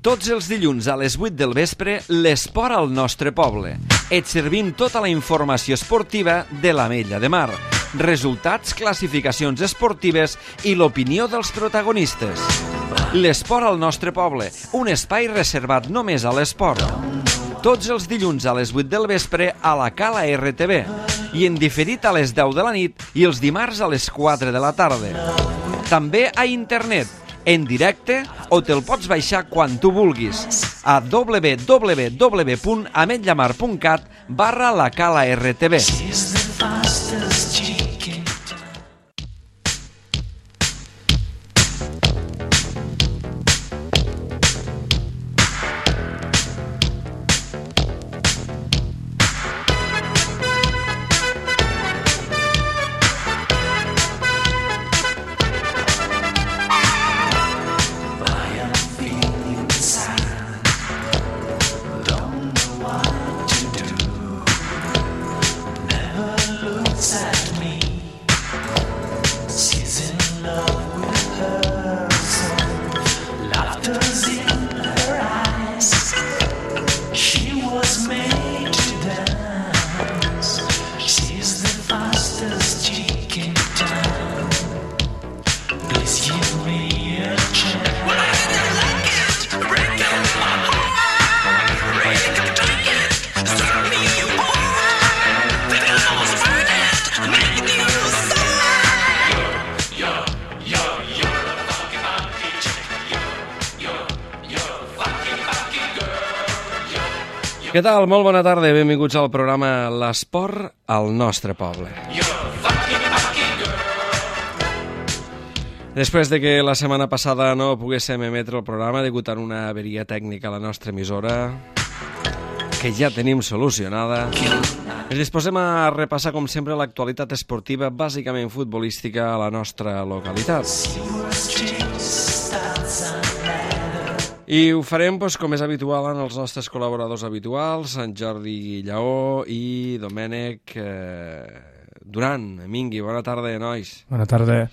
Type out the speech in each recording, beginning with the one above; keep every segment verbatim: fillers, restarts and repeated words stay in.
Tots els dilluns a les vuit del vespre, l'esport al nostre poble. Et servim tota la informació esportiva de l'Ametlla de Mar. Resultats, classificacions esportives i l'opinió dels protagonistes. L'esport al nostre poble, un espai reservat només a l'esport. Tots els dilluns a les vuit del vespre a la Cala R T V i en diferit a les deu de la nit i els dimarts a les quatre de la tarda. També a internet, en directe, o te'l pots baixar quan tu vulguis a w w w punt ametllamar punt cat barra la Cala R T V. Què tal? Molt bona tarda, benvinguts al programa L'Esport al nostre poble. Després de que la setmana passada no poguéssim emetre el programa degut a una averia tècnica a la nostra emissora, que ja tenim solucionada, ens disposem a repassar, com sempre, l'actualitat esportiva, bàsicament futbolística, a la nostra localitat. I ho farem, doncs, com és habitual, en els nostres col·laboradors habituals, en Jordi Lleó i Domènec eh, Duran. Mingui, bona tarda, nois. Bona tarda.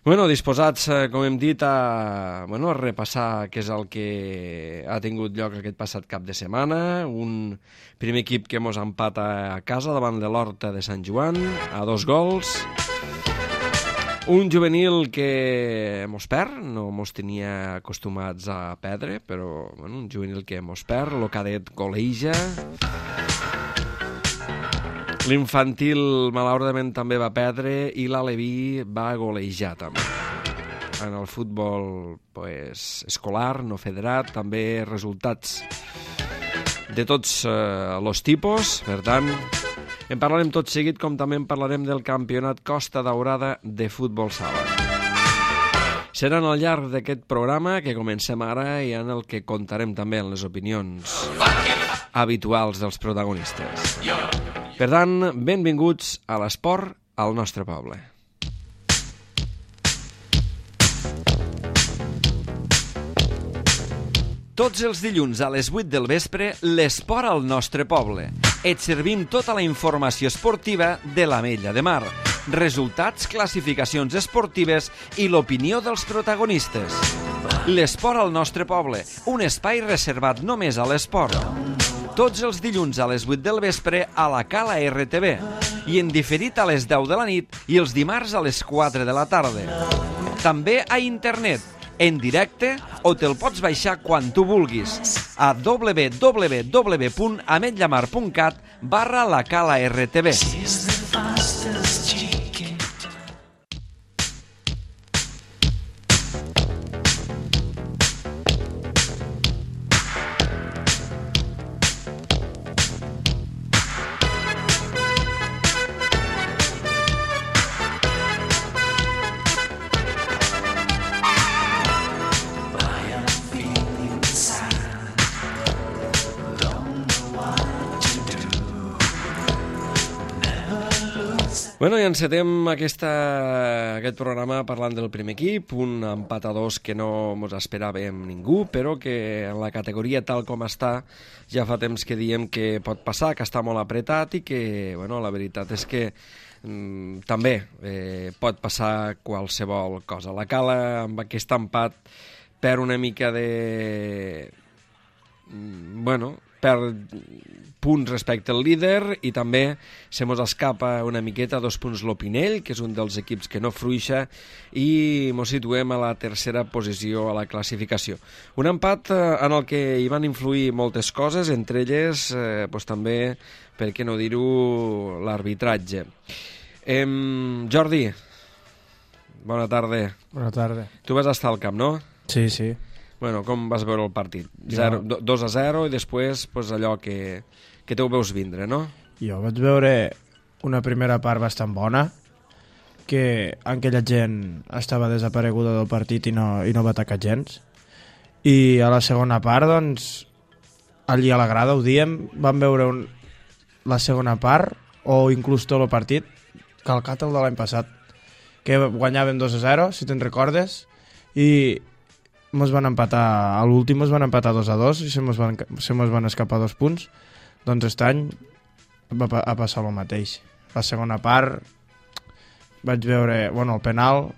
Bueno, disposats, eh, com hem dit, a, bueno, a repassar què és el que ha tingut lloc aquest passat cap de setmana. Un primer equip que mos empata a casa davant de l'Horta de Sant Joan, a dos gols. Un juvenil que mos perd, no mos tenia acostumats a perdre, però bueno, un juvenil que mos perd, el cadet goleja. L'infantil malauradament també va perdre i l'Aleví va golejar també. En el futbol pues, escolar, no federat, també resultats de tots eh, els tipus, per tant... En parlarem tot seguit, com també en parlarem del campionat Costa Daurada de futbol sala. Seran al llarg d'aquest programa que comencem ara i en el que contarem també en les opinions habituals dels protagonistes. Per tant, benvinguts a l'esport al nostre poble. Tots els dilluns a les vuit del vespre, l'esport al nostre poble. Et servim tota la informació esportiva de l'Ametlla de Mar. Resultats, classificacions esportives i l'opinió dels protagonistes. L'esport al nostre poble, un espai reservat només a l'esport. Tots els dilluns a les vuit del vespre a la Cala R T V i en diferit a les deu de la nit i els dimarts a les quatre de la tarda. També a internet, en directe, o te'l pots baixar quan tu vulguis a w w w punt ametllamar punt cat barra la Cala R T V. Bueno, i encetem aquesta, aquest programa parlant del primer equip, un empat a dos que no mos esperàvem ningú, però que en la categoria tal com està ja fa temps que diem que pot passar, que està molt apretat i que, bueno, la veritat és que mm, també eh, pot passar qualsevol cosa. La Cala, amb aquest empat, perd una mica de bueno, perd punts respecte al líder i també se mos escapa una miqueta dos punts l'Opinell, que és un dels equips que no fruixa, i mos situem a la tercera posició a la classificació. Un empat en el que hi van influir moltes coses, entre elles eh, pues, també, per què no dir-ho, l'arbitratge. Eh, Jordi, bona tarda. Bona tarda. Tu vas estar al camp, no? Sí, sí. Bueno, com vas veure el partit? Jo... dos a zero i després pues, allò que, que te ho veus vindre, no? Jo vaig veure una primera part bastant bona, que aquella gent estava desapareguda del partit i no, i no va atacar gens. I a la segona part, doncs, allí a la grada, ho diem, vam veure un, la segona part, o inclús tot el partit, calcat el de l'any passat, que guanyaven dos a zero, si te'n recordes, i mos van empatar, a l'últim mos van empatar dos a dos i se mos van, se mos van escapar dos punts. Doncs aquest any va a passar el mateix. La segona part vaig veure, bueno, el penal,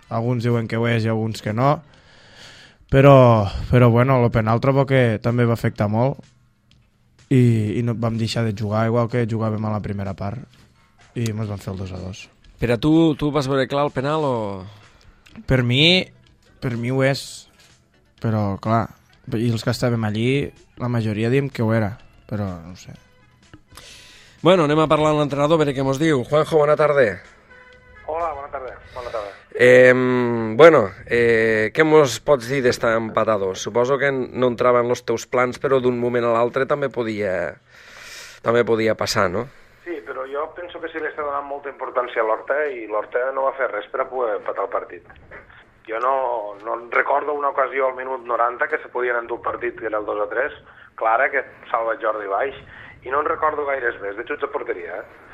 alguns diuen que ho és i alguns que no, però, però bueno, el penal trobo que també va afectar molt i, i no vam deixar de jugar, igual que jugàvem a la primera part, i mos van fer el dos a dos. Per a tu, tu vas veure clar el penal o...? Per mi, per mi ho és, però clar, i els que estàvem allí, la majoria diem que ho era, però no ho sé. Bueno, anem a parlar amb l'entrenador, a veure què mos diu. Juanjo, bona tarda. Hola, bona tarda. Bona tarda. Eh, bueno, eh, què mos pots dir d'estar empatados? Suposo que no entrava en els teus plans, però d'un moment a l'altre també podia, també podia passar, no? Sí, però jo penso que sí li està donant molta importància a l'Horta i l'Horta no va fer res per a poder empatar el partit. Jo no, no recordo una ocasió al minut noranta que se podien endur el partit, que era el dos a tres, clara, que salva Jordi Baix, i no en recordo gaires més, de xuts de porteria. Eh?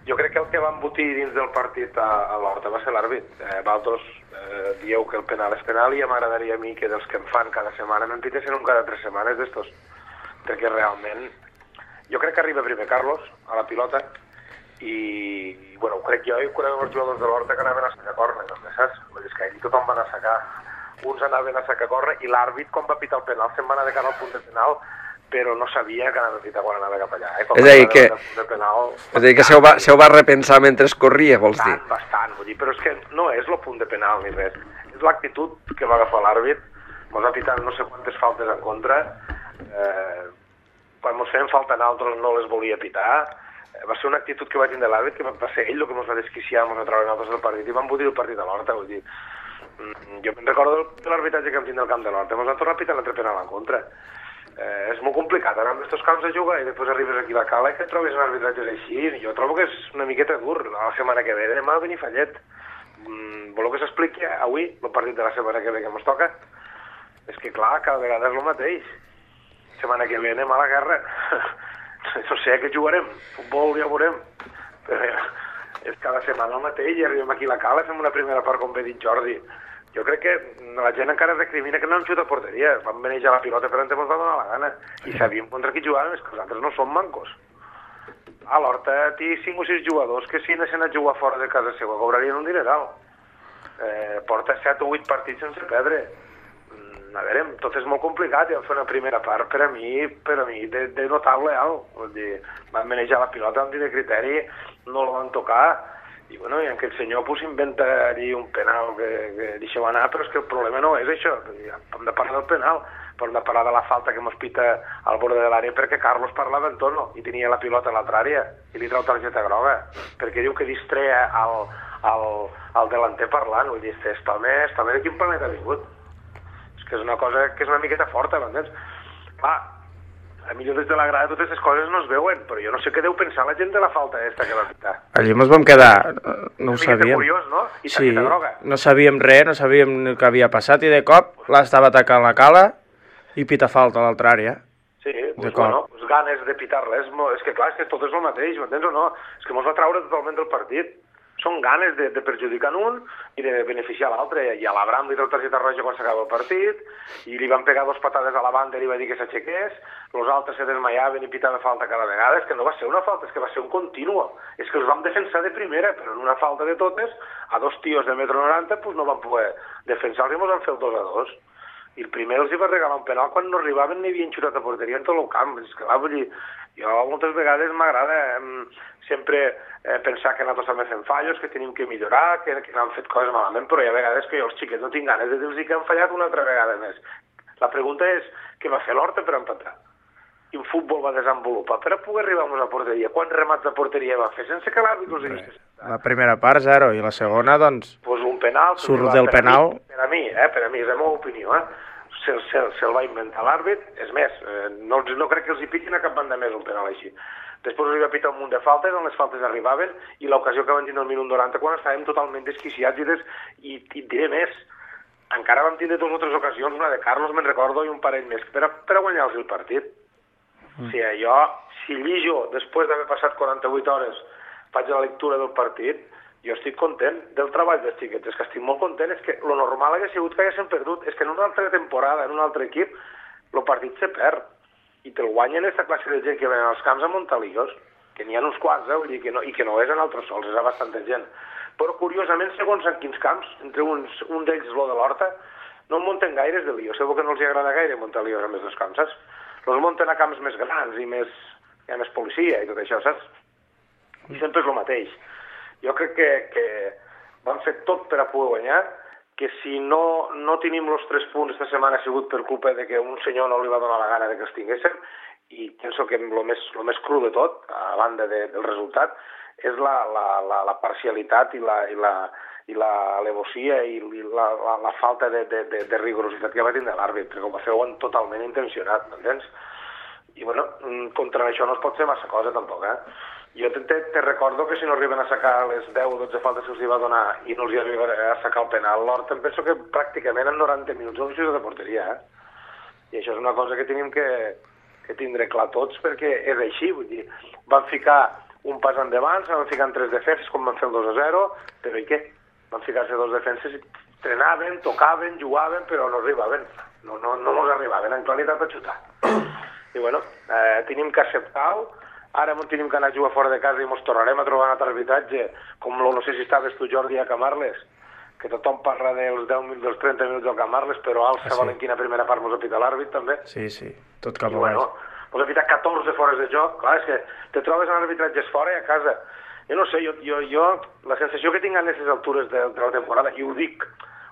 Jo crec que el que va embotir dins del partit a, a l'Horta va ser l'àrbit. Eh, Valtos eh, dieu que el penal és penal i ja m'agradaria a mi que dels que em fan cada setmana me'n pitessin un cada tres setmanes d'estos, perquè realment jo crec que arriba primer Carlos a la pilota i, bueno, ho crec jo i ho crec els jugadors de l'Horta que anaven a sacar córner, no saps? Vull dir que ahir tothom van a sacar, uns anaven a sacar córner i l'àrbit quan va pitar el penal se'n va anar de cara al punt de penal, però no sabia que anava a pitar quan anava cap allà. Eh? És a dir, que, penal, és a dir que se ho, va, se ho va repensar mentre corria, vols dir? Bastant, bastant, vull dir, però és que no és el punt de penal ni res, és l'actitud que va agafar l'àrbit, mos ha pitat no sé quantes faltes en contra, eh, quan mos feien falta en altres no les volia pitar, va ser una actitud que va tindre l'àrbit, que va ser ell el que ens va desquiciar, ens va treure nosaltres del partit i van embotir el partit a l'Horta, vull dir. Jo me'n recordo de l'arbitratge que vam tindre al camp de l'Horta, ens van tornar a pitar l'altre penal en contra. Eh, és molt complicat anar amb aquests camps a jugar i després arribes aquí a la cala i que et trobes en arbitratges així. Jo trobo que és una miqueta dur la setmana que ve, demà a Benifallet. Mm, voleu que s'expliqui avui el partit de la setmana que ve que ens toca? És que clar, cada vegada és el mateix. Setmana que ve anem a la guerra. No sé què jugarem, futbol ja ho veurem, però és cada setmana el mateix i arribem aquí a la cala, fem una primera part com bé dit Jordi. Jo crec que la gent encara recrimina que no hem xutat a porteria, vam manejar la pilota per on ens va donar la gana i sabíem contra qui jugàvem, és que els altres no som mancos. A l'Horta té cinc o sis jugadors que si anessin a jugar fora de casa seva cobrarien un dineral. Eh, porta set o vuit partits sense perdre. A veure, tot és molt complicat, ja vam fer una primera part per a mi, per a mi de, de notable alt. Vull dir, van manejar la pilota amb de criteri, no la van tocar, i bueno, i aquest senyor pues, inventa allí un penal que, que deixeu anar, però és que el problema no és això. Hem de parlar del penal, però hem de parlar de la falta que mos pita al borde de l'àrea perquè Carlos parlava en tono i tenia la pilota a l'altra àrea i li trau targeta groga, perquè diu que distrea al, al, al delanter parlant. Vull dir, està home, està home de quin planeta ha vingut? Que és una cosa que és una miqueta forta, m'entens? Clar, a millor des de la grada totes aquestes coses no es veuen, però jo no sé què deu pensar la gent de la falta aquesta que va pitar. Allí ens vam quedar, no ho sabíem. Curiós, no? I sí, groga. No sabíem res, no sabíem el que havia passat i de cop l'estava atacant la cala i pita falta a l'altra àrea. Sí, pues, bueno, pues ganes de pitar-la, és, és que clar, és que tot és el mateix, m'entens o no? És que mos va traure totalment del partit. Són ganes de, de perjudicar un i de beneficiar l'altre. I a l'Abram li treu targeta roja quan s'acaba el partit, i li van pegar dos patades a la banda i li va dir que s'aixequés, els altres se desmaiaven i pitaven falta cada vegada. És que no va ser una falta, és que va ser un continuo. És que els vam defensar de primera, però en una falta de totes, a dos tios de metro noranta, pues no van poder defensar-los i ens van fer el dos a dos. i el primer els hi va regalar un penal quan no arribaven ni havien xutat a porteria en tot el camp. És que, clar, vull dir, jo moltes vegades m'agrada eh, sempre eh, pensar que nosaltres també fem fallos, que tenim que millorar, que, que no han fet coses malament, però hi ha vegades que jo els xiquets no tinc ganes de dir-los que han fallat una altra vegada més. La pregunta és què va fer l'Horta per empatar? Quin futbol va desenvolupar per a poder arribar a una porteria? Quants remats de porteria va fer sense que l'àrbit els hagués fet? La primera part, zero, i la segona, doncs... Pues un penal... Surt del per penal... A mi, per a mi, eh, per a mi, és la meva opinió, eh? Se'l se, se, se va inventar l'àrbit, és més, eh, no, no crec que els hi piquin a cap banda més un penal així. Després els hi va pitar un munt de faltes, on les faltes arribaven, i l'ocasió que van tindre el minut noranta, quan estàvem totalment desquiciats i, des, i, i diré més, encara vam tindre dues o tres ocasions, una de Carlos, me'n recordo, i un parell més, per a, per a guanyar-los el partit. O sigui, jo, si llijo, després d'haver passat quaranta-vuit hores, faig la lectura del partit, jo estic content del treball dels xiquets, és que estic molt content, és que lo normal hauria sigut que haguessin perdut, és que en una altra temporada, en un altre equip, el partit se perd, i te'l guanyen aquesta classe de gent que venen als camps a muntar líos, que n'hi ha uns quants, eh, vull dir, que no, i que no és en altres sols, és a bastanta gent. Però, curiosament, segons en quins camps, entre uns, un d'ells, lo de l'Horta, no en munten gaires de líos, segur que no els agrada gaire muntar líos a més dels camps, saps? Els munten a camps més grans i més, hi ha més policia i tot això, saps? I sempre és el mateix. Jo crec que, que van fer tot per a poder guanyar, que si no, no tenim els tres punts esta setmana ha sigut per culpa de que un senyor no li va donar la gana de que els tinguéssim, i penso que el més, el més cru de tot, a banda de, del resultat, és la, la, la, la parcialitat i la, i la, i la alevosia i la, la, la falta de, de, de, de rigorositat que va tindre l'àrbit, perquè ho va fer totalment intencionat, m'entens? I, bueno, contra això no es pot fer massa cosa, tampoc, eh? Jo te, te, te recordo que si no arriben a sacar les deu o dotze faltes que els hi va donar i no els hi arriba a sacar el penal, l'Horta em penso que pràcticament en noranta minuts no hi de porteria, eh? I això és una cosa que tenim que, que tindre clar tots, perquè és així, vull dir, van ficar un pas endavant, se van ficar en tres defenses com van fer el dos a zero, però i què? Van ficar-se dos defenses i trenaven, tocaven, jugaven, però no arribaven. No, no, no mos arribaven en claritat a xutar. I bueno, eh, tenim que acceptar-ho. Ara tenim que anar a jugar fora de casa i mos tornarem a trobar un altre arbitratge, com lo, no sé si estaves tu, Jordi, a Camarles, que tothom parla dels deu minuts, dels trenta minuts del Camarles, però al ah, Sabalent sí. quina primera part mos ha pitat l'àrbit, també. Sí, sí, tot cap a bueno, mos ha pitat catorze fores de joc. Clar, és que te trobes en arbitratges fora i a casa. Jo no sé, jo, jo, jo la sensació que tinc a aquestes altures de, de la temporada, i ho dic,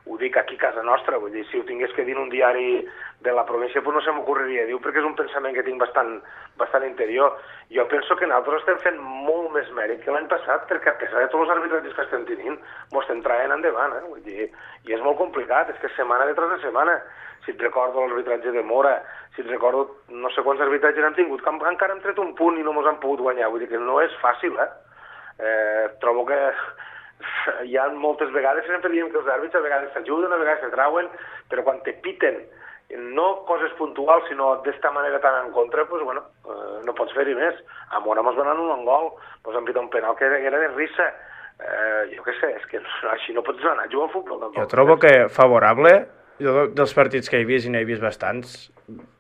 ho dic aquí a casa nostra, vull dir, si ho tingués que dir en un diari de la província, pues no se m'ocorreria dir-ho, perquè és un pensament que tinc bastant, bastant interior. Jo penso que nosaltres estem fent molt més mèrit que l'any passat, perquè a pesar de tots els arbitratges que estem tenint, m'ho estem traient endavant, eh? Vull dir, i és molt complicat, és que setmana detrás de setmana, si et recordo l'arbitratge de Mora, si et recordo no sé quants arbitratges han tingut, que encara hem tret un punt i no mos han pogut guanyar, vull dir que no és fàcil, eh? Eh, trobo que hi ha moltes vegades, sempre diem que els àrbits a vegades s'ajuden, a vegades se trauen, però quan te piten, no coses puntuals, sinó d'esta manera tan en contra, pues, bueno, eh, no pots fer-hi més. A Mora mos donen un gol, mos han pitat un penal que era de risa. Eh, jo què sé, és que així no pots anar a jugar al futbol. Tampoc. Jo trobo que favorable, jo dels partits que he vist, i n'he vist bastants,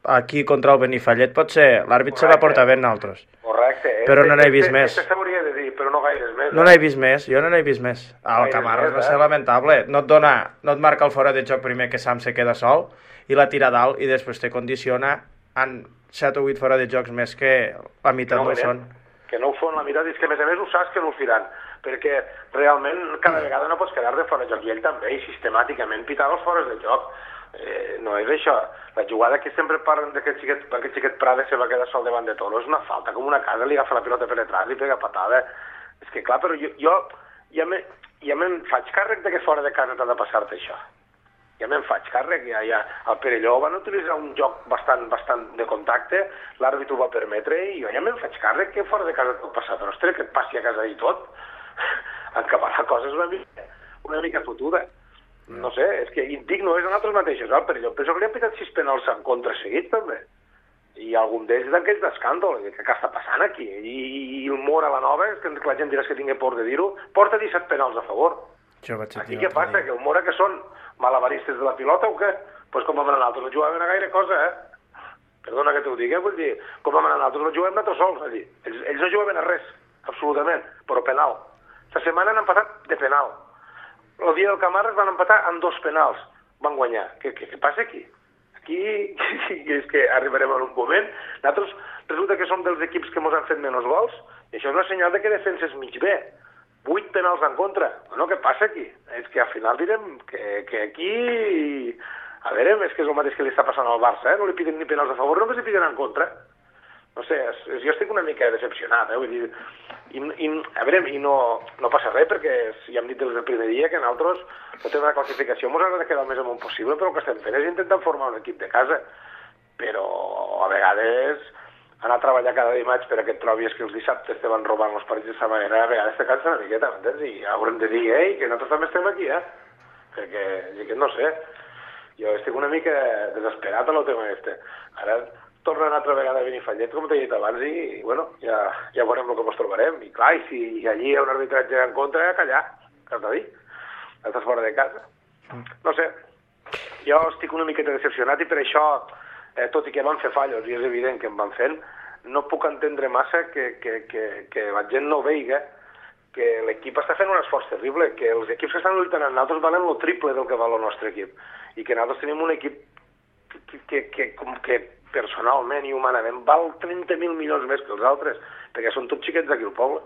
aquí contra el Benifallet potser l'àrbit se va portar bé en altres. Correcte. Però no n'he vist més. Això s'hauria de dir, però no gaires més. No n'he vist més, jo no n'he vist més. El Camarles va ser lamentable. No et dona, no et marca el fora de joc primer que Sam se queda sol i la tira dalt i després te condiciona en set o vuit fora de jocs més que la meitat no ho són. Que no ho fan la meitat, és que a més a més ho saps que no ho firan, perquè realment cada vegada no pots quedar de fora de joc, i ell també, i sistemàticament pitar els fores de joc. Eh, no és això. La jugada que sempre parlen d'aquest xiquet, aquest xiquet Prada se va quedar sol davant de Toro, és una falta, com una casa, li agafa la pilota per detrás i pega patada. És que clar, però jo, jo ja, me, ja me'n faig càrrec de que fora de casa t'ha de passar-te això. Ja me'n faig càrrec, ja, ja. El Perelló van utilitzar un joc bastant, bastant de contacte, l'àrbit ho va permetre i jo ja me'n faig càrrec que fora de casa et pot passar, però ostres, que et passi a casa i tot, en acabar la cosa és una mica, una mica fotuda. No sé, és que indigno és a nosaltres mateixos, el Perelló. Penso que li han pitat sis penals en contra seguit, també. I algun d'ells d'aquells d'escàndol. Què està passant aquí? I, i el Mora, la nova, que la gent dirà que tingui por de dir-ho, porta disset penals a favor. Aquí què passa? Que el Mora que són malabaristes de la pilota o què? Doncs pues com vam anar nosaltres, no jugaven a gaire cosa, eh? Perdona que t'ho digui, vull dir, com vam anar nosaltres, no juguem nosaltres sols, allí. Ells, ells no jugaven a res, absolutament, però penal. La setmana han empatat de penal. El dia del Camarles van empatar amb dos penals. Van guanyar. Què, què, què passa aquí? aquí és que arribarem en un moment. Nosaltres resulta que som dels equips que ens han fet menys gols, i això és una senyal de que defenses mig bé. Vuit penals en contra. Bueno, què passa aquí? És que al final direm que, que aquí... A veure, és que és el mateix que li està passant al Barça, eh? No li piden ni penals a favor, només li piden en contra. No sé, és, és, jo estic una mica decepcionat, eh? Vull dir, i, i, a veure, i no, no passa res, perquè ja hem dit des del primer dia que nosaltres no tenim una classificació, ens agrada quedar el més amunt possible, però el que estem fent és intentar formar un equip de casa. Però a vegades anar a treballar cada dimarts per aquest trobis que els dissabtes te van robant els partits d'aquesta manera, a vegades te cansa una miqueta, m'entens? I haurem de dir, ei, que nosaltres també estem aquí, eh? Perquè, que no sé, jo estic una mica desesperat en el tema este. Ara torna una altra vegada a Benifallet, com t'he dit abans, i, bueno, ja, ja veurem el que ens trobarem. I clar, i si allí hi ha un arbitratge en contra, callar, que t'ha dit, estàs fora de casa. No sé, jo estic una miqueta decepcionat i per això, eh, tot i que van fer fallos, i és evident que en van fent, no puc entendre massa que, que, que, que la gent no veiga que l'equip està fent un esforç terrible, que els equips que estan lluitant amb nosaltres valen el triple del que val el nostre equip, i que nosaltres tenim un equip que, que, que, que, que personalment i humanament val trenta mil milions més que els altres, perquè són tots xiquets d'aquí al poble.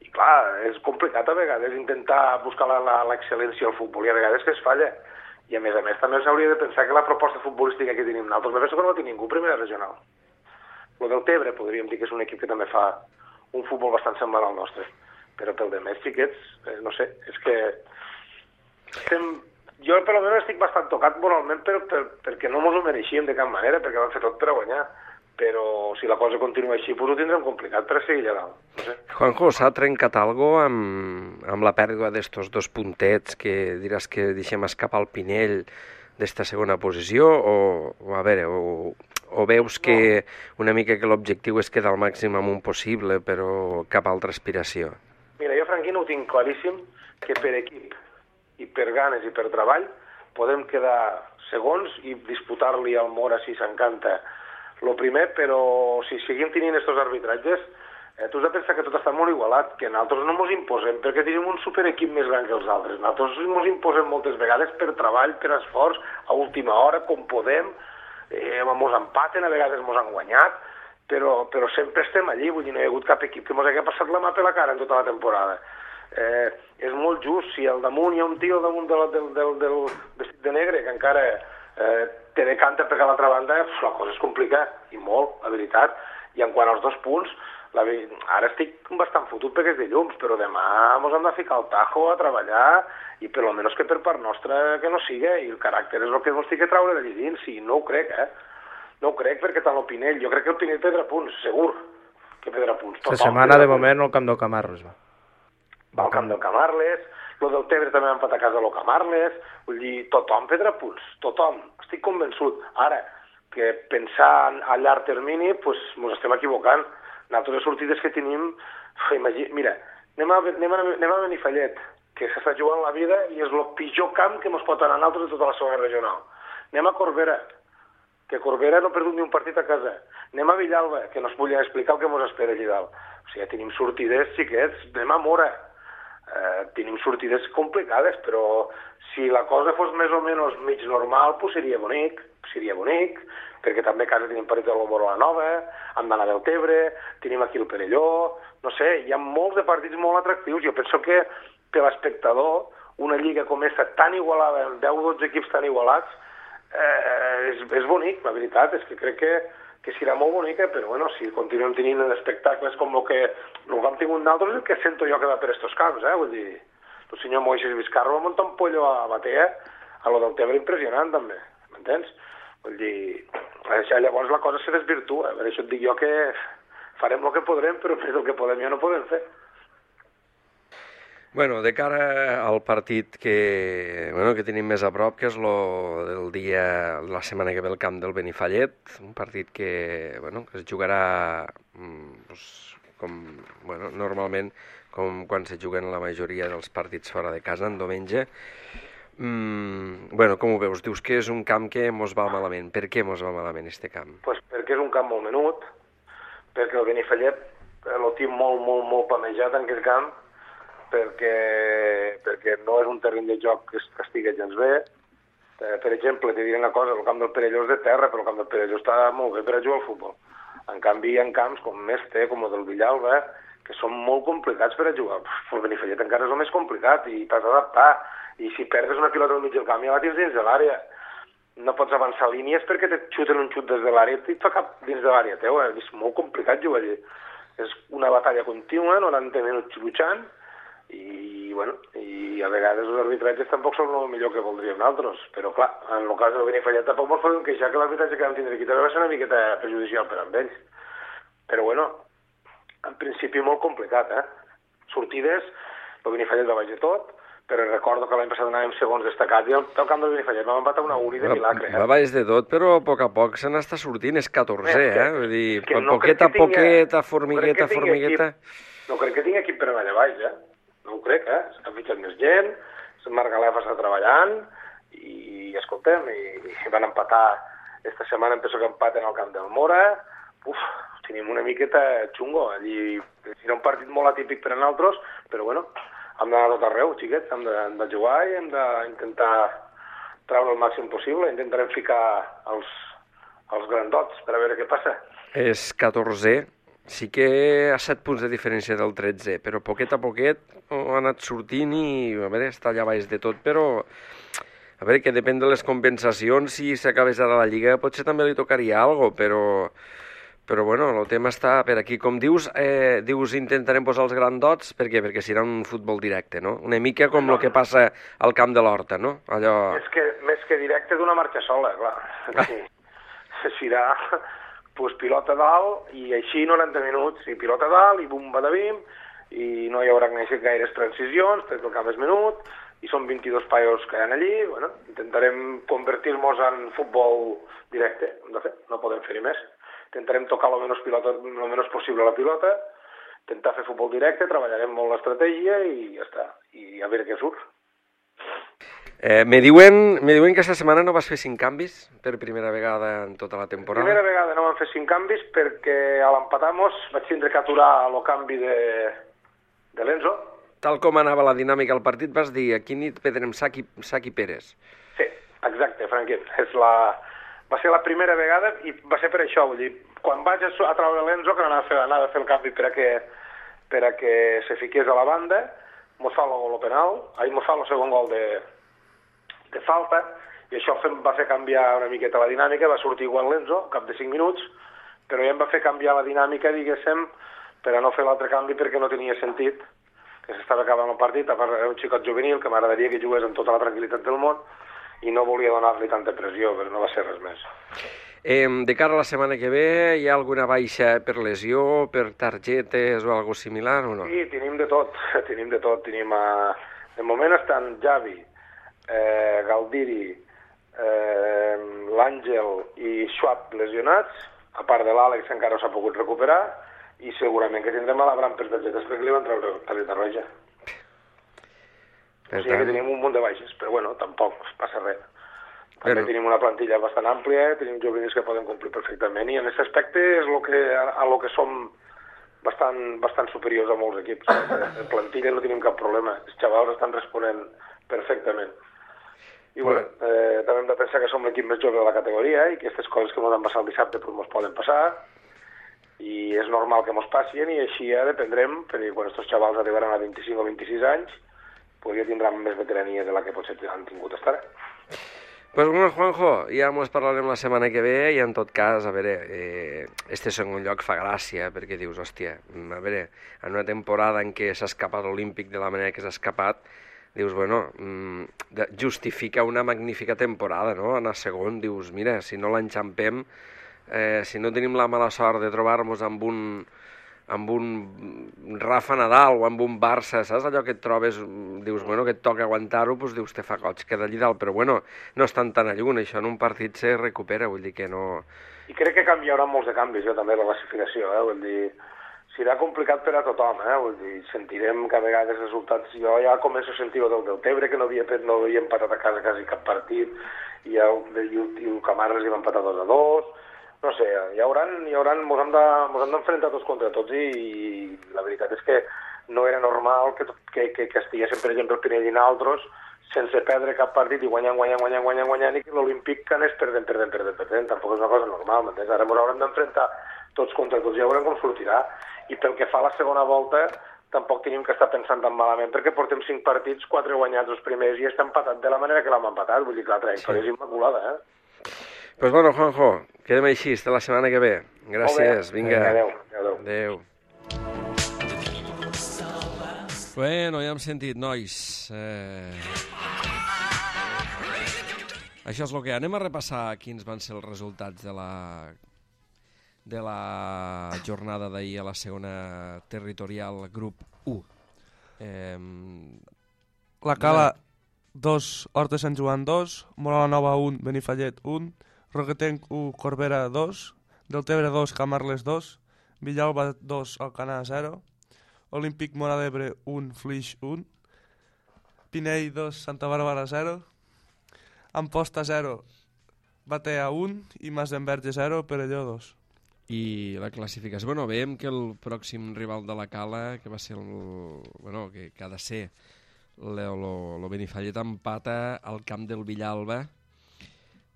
I clar, és complicat a vegades intentar buscar l'excel·lència al futbol, i a vegades que es falla. I a més a més també s'hauria de pensar que la proposta futbolística que tenim nosaltres, me penso que no té ningú primera regional. El del Tebre podríem dir que és un equip que també fa un futbol bastant semblant al nostre, però pel de més xiquets, eh, no sé, és que estem... Jo per almenys estic bastant tocat moralment per, per, perquè no ens ho mereixíem de cap manera, perquè vam fer tot per a guanyar. Però si la cosa continua així, doncs ho tindrem complicat per a seguir allà dalt. No sé. Juanjo, s'ha trencat alguna cosa amb, amb la pèrdua d'estos dos puntets que diràs que deixem escapar el Pinell d'esta segona posició? O, o a veure, o, o veus que no, una mica que l'objectiu és quedar al màxim amunt possible, però cap altra aspiració? Mira, jo, Franquino, ho tinc claríssim, que per equip i per ganes i per treball podem quedar segons i disputar-li al Mora si s'encanta el primer, però si seguim tenint aquests arbitratges, eh, tu has de pensar que tot està molt igualat, que nosaltres no ens imposem perquè tenim un superequip més gran que els altres. Nosaltres ens imposem moltes vegades per treball, per esforç, a última hora, com podem, eh, ens empaten, a vegades ens han guanyat, però, però sempre estem allí, vull dir, no hi ha hagut cap equip que ens hagi passat la mà per la cara en tota la temporada. Eh, és molt just, si al damunt hi ha un tio al damunt del, del, del, del vestit de negre que encara eh, te decanta per l'altra banda, la cosa és complicada, i molt, la veritat. I en quant als dos punts, la, ara estic bastant fotut perquè és dilluns, però demà ens hem de ficar al tajo a treballar, i per almenys que per part nostra que no siga, i el caràcter és el que ens té que traure d'allí dins, i no ho crec, eh? No ho crec perquè tant el Pinell, jo crec que el Pinell perdrà punts, segur que perdrà punts. La setmana de moment el camp del Camarles va. Va al camp del Camarles, el del Tebre també va empatar a casa del Camarles, vull dir, tothom prendrà punts, tothom, estic convençut. Ara, que pensar a llarg termini, doncs pues, ens estem equivocant. Nosaltres les sortides que tenim, imagina, mira, anem a, anem, a, anem a Benifallet, que s'està jugant la vida i és el pitjor camp que ens pot anar a nosaltres de tota la segona regional. Anem a Corbera, que Corbera no ha perdut ni un partit a casa. Anem a Villalba, que no es volia explicar el que ens espera allà dalt. O sigui, tenim sortides xiquets, anem a Mora. Eh, tenim sortides complicades, però si la cosa fos més o menys mig normal, pues seria bonic, seria bonic, perquè també a casa tenim partit de l'Omoro a la Nova, hem d'anar del Tebre, tenim aquí el Perelló, no sé, hi ha molts de partits molt atractius. Jo penso que per l'espectador, una lliga com aquesta tan igualada, amb deu o dotze equips tan igualats, eh, és, és bonic, la veritat, és que crec que que serà molt bonica, però bueno, si continuem tenint espectacles com el que el que hem tingut nosaltres, el que sento jo que va per estos camps, eh? Vull dir, el senyor Moisés Vizcarro va muntar un pollo a Batea, a lo del Tebre impressionant també, m'entens? Vull dir, llavors la cosa se desvirtua, per això et dic jo que farem el que podrem, però més del que podem ja no podem fer. Bueno, de cara al partit que, bueno, que tenim més a prop, que és lo del dia, la setmana que ve al camp del Benifallet, un partit que, bueno, que es jugarà pues, com, bueno, normalment com quan se juguen la majoria dels partits fora de casa, en diumenge. Mm, bueno, com ho veus? Dius que és un camp que mos va malament. Per què mos va malament este camp? Pues perquè és un camp molt menut, perquè el Benifallet el tinc molt, molt, molt planejat en aquest camp, perquè, perquè no és un terreny de joc que, que estigui gens bé, Eh, per exemple, t'he dit una cosa, el camp del Perelló és de terra, però el camp del Perelló està molt bé per a jugar al futbol. En canvi, hi ha camps com Este, com el del Villalba, que són molt complicats per a jugar. El Benifallet encara és el més complicat i t'has d'adaptar. I si perdes una pilota al mig del camp, ja la tens dins de l'àrea. No pots avançar línies perquè te xuten un xut des de l'àrea i et fa cap dins de l'àrea teva. És molt complicat jugar allà. És una batalla contínua, noranta minuts luchant, i, bueno, i a vegades els arbitratges tampoc són el millor que voldríem nosaltres, però clar, en el cas del Benifallet tampoc ens podem queixar que l'arbitratge que vam tindre aquí també va ser una miqueta perjudicial per amb ells. Però bueno, en principi molt complicat, eh? Sortides, el Benifallet va baix de tot, però recordo que l'any passat anàvem segons destacats i al camp del Benifallet vam empatar una uri de milagre. Va baix de tot, però a poc a poc se n'està sortint, és catorzè, eh? Vull dir, no poqueta a poqueta, formigueta a formigueta... No crec que tingui equip per anar allà baix, eh? No ho crec, eh? S'ha fitxat més gent, el Margalef està treballant i, escoltem, i, i van empatar esta setmana, em penso que empaten al camp del Mora. Uf, tenim una miqueta xungo. Allí era un partit molt atípic per a nosaltres, però bueno, hem d'anar tot arreu, xiquets, hem de, hem de jugar i hem d'intentar treure el màxim possible. Intentarem ficar els, els grandots per a veure què passa. És catorzè. Sí que a set punts de diferència del tretze, però poquet a poquet ha anat sortint i, a veure, està allà baix de tot, però, a veure, que depèn de les compensacions, si s'acabés ara la Lliga potser també li tocaria alguna cosa, però, però bueno, el tema està per aquí. Com dius, eh, dius intentarem posar els grandots, per què? Perquè serà un futbol directe, no? Una mica com el que passa al camp de l'Horta, no? Allò... És que, més que directe d'una marxa sola, clar. Sí. Serà... pues pilota dalt, i així noranta minuts, i pilota dalt, i bum, badabim, i no hi haurà gaires transicions, perquè el camp és menut, i són vint-i-dos paios que hi ha allí, bueno, intentarem convertir-nos en futbol directe, hem de fer, no podem fer-hi més. Intentarem tocar el menys, pilota, el menys possible la pilota, intentar fer futbol directe, treballarem molt l'estratègia i ja està, i a veure què surt. Eh, me, diuen, me diuen que aquesta setmana no vas fer cinc canvis per primera vegada en tota la temporada. Per primera vegada no vam fer cinc canvis perquè a l'empatamos vaig tindre que aturar el canvi de, de l'Enzo. Tal com anava la dinàmica al partit, vas dir aquí nit perdrem Saki, Saki Pérez. Sí, exacte, Franquet. És la... Va ser la primera vegada i va ser per això. Vull dir, quan vaig a, a treure l'Enzo, que anava a, fer, anava a fer el canvi per a que, per a que se fiqués a la banda, mos fa el gol penal, ahir mos fa el segon gol de... de falta, i això va fer canviar una miqueta la dinàmica, va sortir igual l'Enzo, al cap de cinc minuts, però ja em va fer canviar la dinàmica, diguéssim, per a no fer l'altre canvi perquè no tenia sentit, que s'estava acabant el partit, a part era un xicot juvenil que m'agradaria que jugués amb tota la tranquil·litat del món, i no volia donar-li tanta pressió, però no va ser res més. Eh, de cara a la setmana que ve, hi ha alguna baixa per lesió, per targetes o alguna similar o no? Sí, tenim de tot, tenim de tot. Tenim a... De moment estan Javi, Eh, Galdiri, eh, l'Àngel i Schwab lesionats, a part de l'Àlex encara s'ha pogut recuperar, i segurament que tindrem a l'Abram per targetes perquè li van treure targeta roja. O sigui que tenim un munt de baixes, però bueno, tampoc passa res. També bueno. Tenim una plantilla bastant àmplia, tenim juvenils que poden complir perfectament, i en aquest aspecte és lo que, a lo que som bastant, bastant superiors a molts equips. En plantilla no tenim cap problema, els xavals estan responent perfectament. I bueno, eh, també hem de pensar que som l'equip més jove de la categoria i que aquestes coses que ens van passar el dissabte pues, ens poden passar, i és normal que ens passin, i així ja dependrem, perquè quan aquests xavals arribaran a vint-i-cinc o vint-i-sis anys pues ja tindran més veterania de la que potser han tingut estar. Pues bueno, Juanjo, ja ens parlarem la setmana que ve, i en tot cas, a veure, eh, este segon lloc fa gràcia, perquè dius, hòstia, a veure, en una temporada en què s'ha escapat l'Olímpic de la manera que s'ha escapat, dius, bueno, justifica una magnífica temporada, no? Anar segon, dius, mira, si no l'enxampem, eh, si no tenim la mala sort de trobar-nos amb un, amb un Rafa Nadal o amb un Barça, saps? Allò que et trobes, dius, bueno, que et toca aguantar-ho, doncs dius, te fa goig, queda allí dalt, però bueno, no estan tan a lluny, això en un partit se recupera, vull dir que no... I crec que canviarà molts de canvis, jo també, la classificació, eh? Vull dir... Serà complicat per a tothom, eh? Vull dir, sentirem que a vegades resultats... Jo ja començo a sentir del Deltebre, que no havia, no havia empatat a casa quasi cap partit, i el, i el Camarles hi va empatar dos a dos... No sé, hi haurà... Hi haurà mos hem d'enfrontar de, tots contra tots, i, i la veritat és que no era normal que, que, que, que estiguéssim, per exemple, el Pinell i nosaltres sense perdre cap partit i guanyant, guanyant, guanyant, guanyant, guanyant, i que l'Olímpic que anés perdent, perdent, perdent, perdent. Tampoc és una cosa normal, m'entens? Ara ens haurem d'enfrontar tots contra tots, ja veurem com sortirà. I pel que fa a la segona volta, tampoc tenim que estar pensant tan malament, perquè portem cinc partits, quatre guanyats els primers, i està empatat de la manera que l'hem empatat. Vull dir que la trajectòria sí. és immaculada, eh? Pues bueno, Juanjo, quedem així, fins la setmana que ve. Gràcies, vinga. Adéu, adéu. Adéu. Bueno, ja hem sentit, nois. Eh... Això és el que... Anem a repassar quins van ser els resultats de la, de la jornada d'ahir a la segona territorial grup u. Eh... La Cala dos, Horta Sant Joan dos, Mola la Nova un, Benifallet un, Roquetenc u, Corbera dos, Deltebre dos, Camarles dos, Villalba dos, Alcanar zero, Olímpic Móra d'Ebre un, Flix un, Pinell dos, Santa Bàrbara zero, Amposta zero, Batea un i Masdenverge zero, Perelló dos. I la classificació, bueno, veiem que el pròxim rival de la Cala, que va ser el, bueno, que, que ha de ser el Benifallet, empata al camp del Villalba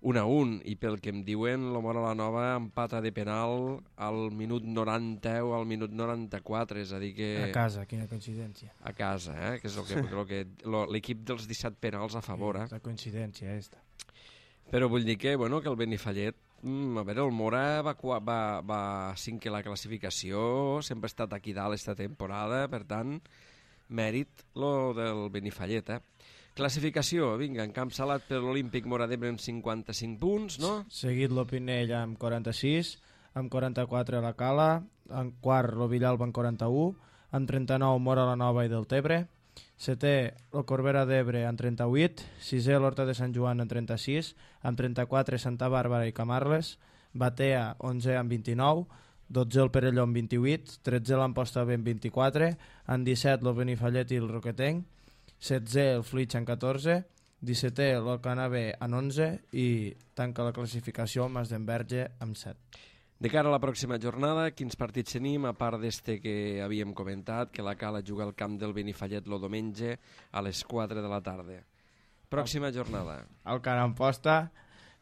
un a un, i pel que em diuen la Móra la Nova empata de penal al minut noranta o al minut noranta-quatre, és a dir que... A casa, quina coincidència. A casa, eh? Que és el que, el que l'equip dels disset penals a favor. Sí, la coincidència esta. Però vull dir que, bueno, que el Benifallet, mm, a veure, el Móra va, va, va cinquè la classificació, sempre ha estat aquí dalt esta temporada, per tant, mèrit lo del Benifallet, eh? Classificació, vinga, en camp salat per l'Olímpic Móra d'Ebre amb cinquanta-cinc punts, no? Seguit l'Opinell amb quaranta-sis, amb quaranta-quatre la Cala, en quart lo Villalba amb quaranta-u, amb trenta-nou Móra la Nova i Deltebre, setè el Corbera d'Ebre amb trenta-vuit, sisè l'Horta de Sant Joan amb trenta-sis, amb trenta-quatre Santa Bàrbara i Camarles, Batea onzè amb vint-i-nou, dotze el Perelló amb vint-i-vuit, tretze l'Amposta amb vint-i-quatre, amb disset el Benifallet i el Roquetenc, setzè el Flix amb catorze, dissetè l'Alcanar B amb onze i tanca la classificació el Masdenverge amb set. De cara a la pròxima jornada, quins partits tenim, a part d'este que havíem comentat, que la Cala juga al camp del Benifallet el diumenge a les quatre de la tarda. Pròxima jornada. Alcanar Amposta,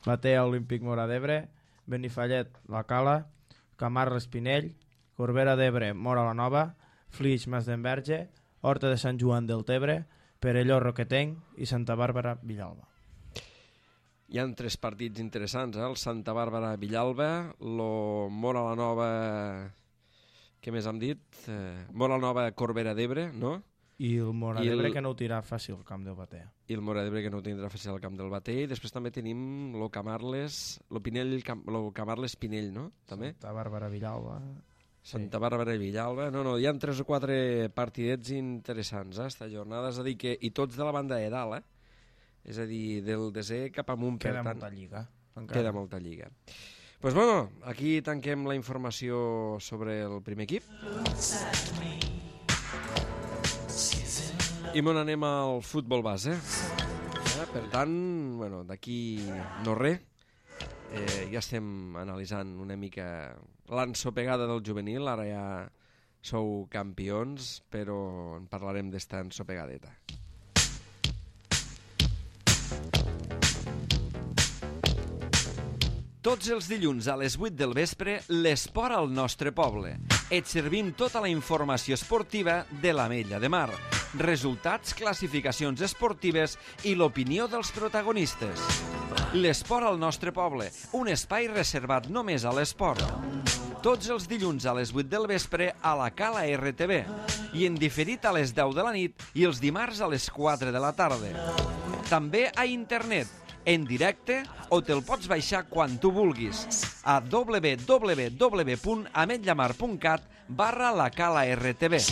Batea Olímpic Móra d'Ebre, Benifallet la Cala, Camarles Pinell, Corbera d'Ebre Móra la Nova, Flix Masdenverge, Horta de Sant Joan Deltebre, Perelló Roquetenc i Santa Bàrbara Villalba. Hi ha tres partits interessants, eh? El Santa Bàrbara Villalba, lo Móra la Nova, què més hem dit? Eh, Móra la Nova Corbera d'Ebre, no? I el Móra d'Ebre el... que no ho tirà fàcil al camp del Batea. I el Móra d'Ebre que no ho tindrà fàcil al camp del Batea. I després també tenim lo Camarles, lo Pinell, lo Camarles Pinell, no? També? Santa Bàrbara Villalba... Santa Bàrbara i Villalba. No, no, hi ha tres o quatre partidets interessants, eh, esta jornada. És a dir que... I tots de la banda de dalt, eh? És a dir, del desè cap amunt. Queda per tant, molta lliga. Encara. Queda molta lliga. Pues bueno, aquí tanquem la informació sobre el primer equip. I me n'anem al futbol base. Eh? Per tant, bueno, d'aquí no res. Eh, ja estem analitzant una mica l'ensopegada del juvenil, ara ja sou campions, però en parlarem d'esta ensopegadeta. Tots els dilluns a les vuit del vespre, l'esport al nostre poble. Et servim tota la informació esportiva de l'Ametlla de Mar, resultats, classificacions esportives i l'opinió dels protagonistes. L'esport al nostre poble, un espai reservat només a l'esport. Tots els dilluns a les vuit del vespre a la Cala R T V i en diferit a les deu de la nit i els dimarts a les quatre de la tarda. També a internet, en directe o te'l pots baixar quan tu vulguis a w w w punt ametllamar punt cat barra la Cala R T V.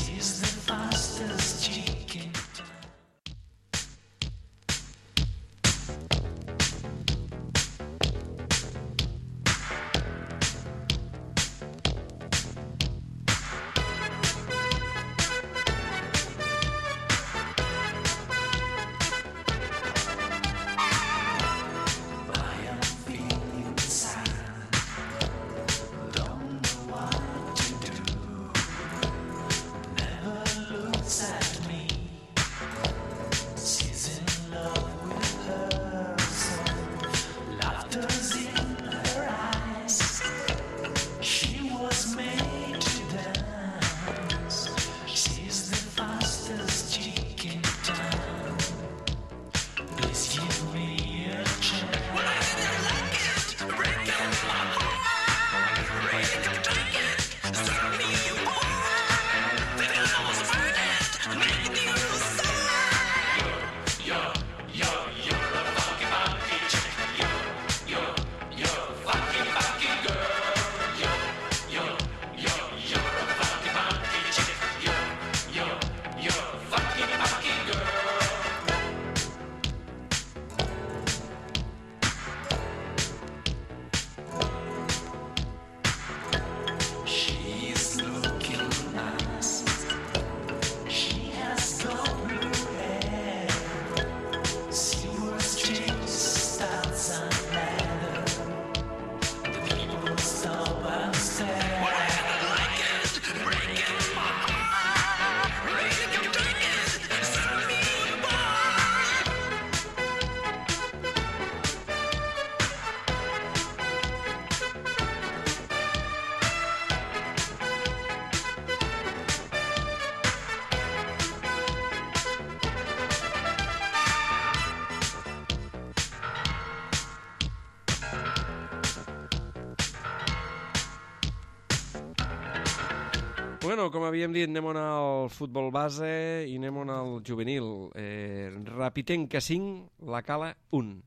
bueno, com havíem dit, anem al futbol base i anem al juvenil. Eh, Rapitenca cinc, la Cala un.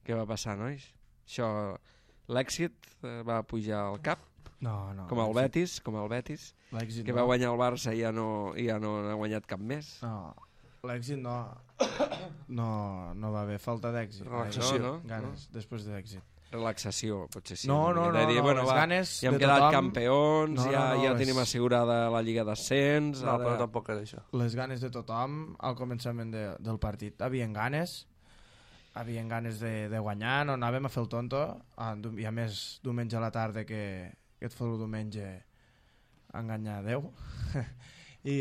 Què va passar, nois? Això, l'èxit eh, va pujar al cap, No, no. com el Betis, com el Betis, L'èxit que no. va guanyar el Barça i ja no, i ja no ha guanyat cap més. No, l'èxit no. No, no va haver falta d'èxit. Relaxació. No, no, Ganes, després de l'èxit. Relaxació, potser sí. No, una no, miqueta, no, de dir, no, bueno, les va, ganes ja hem de quedat tothom- campions, No, no, ja, no, ja és- tenim assegurada la Lliga d'Ascens. No, ara... però tampoc era això. Les ganes de tothom al començament de, del partit. Havien ganes, havien ganes de, de guanyar, no anàvem a fer el tonto, ah, i a més diumenge a la tarda que, que et fot el diumenge a enganyar Déu. I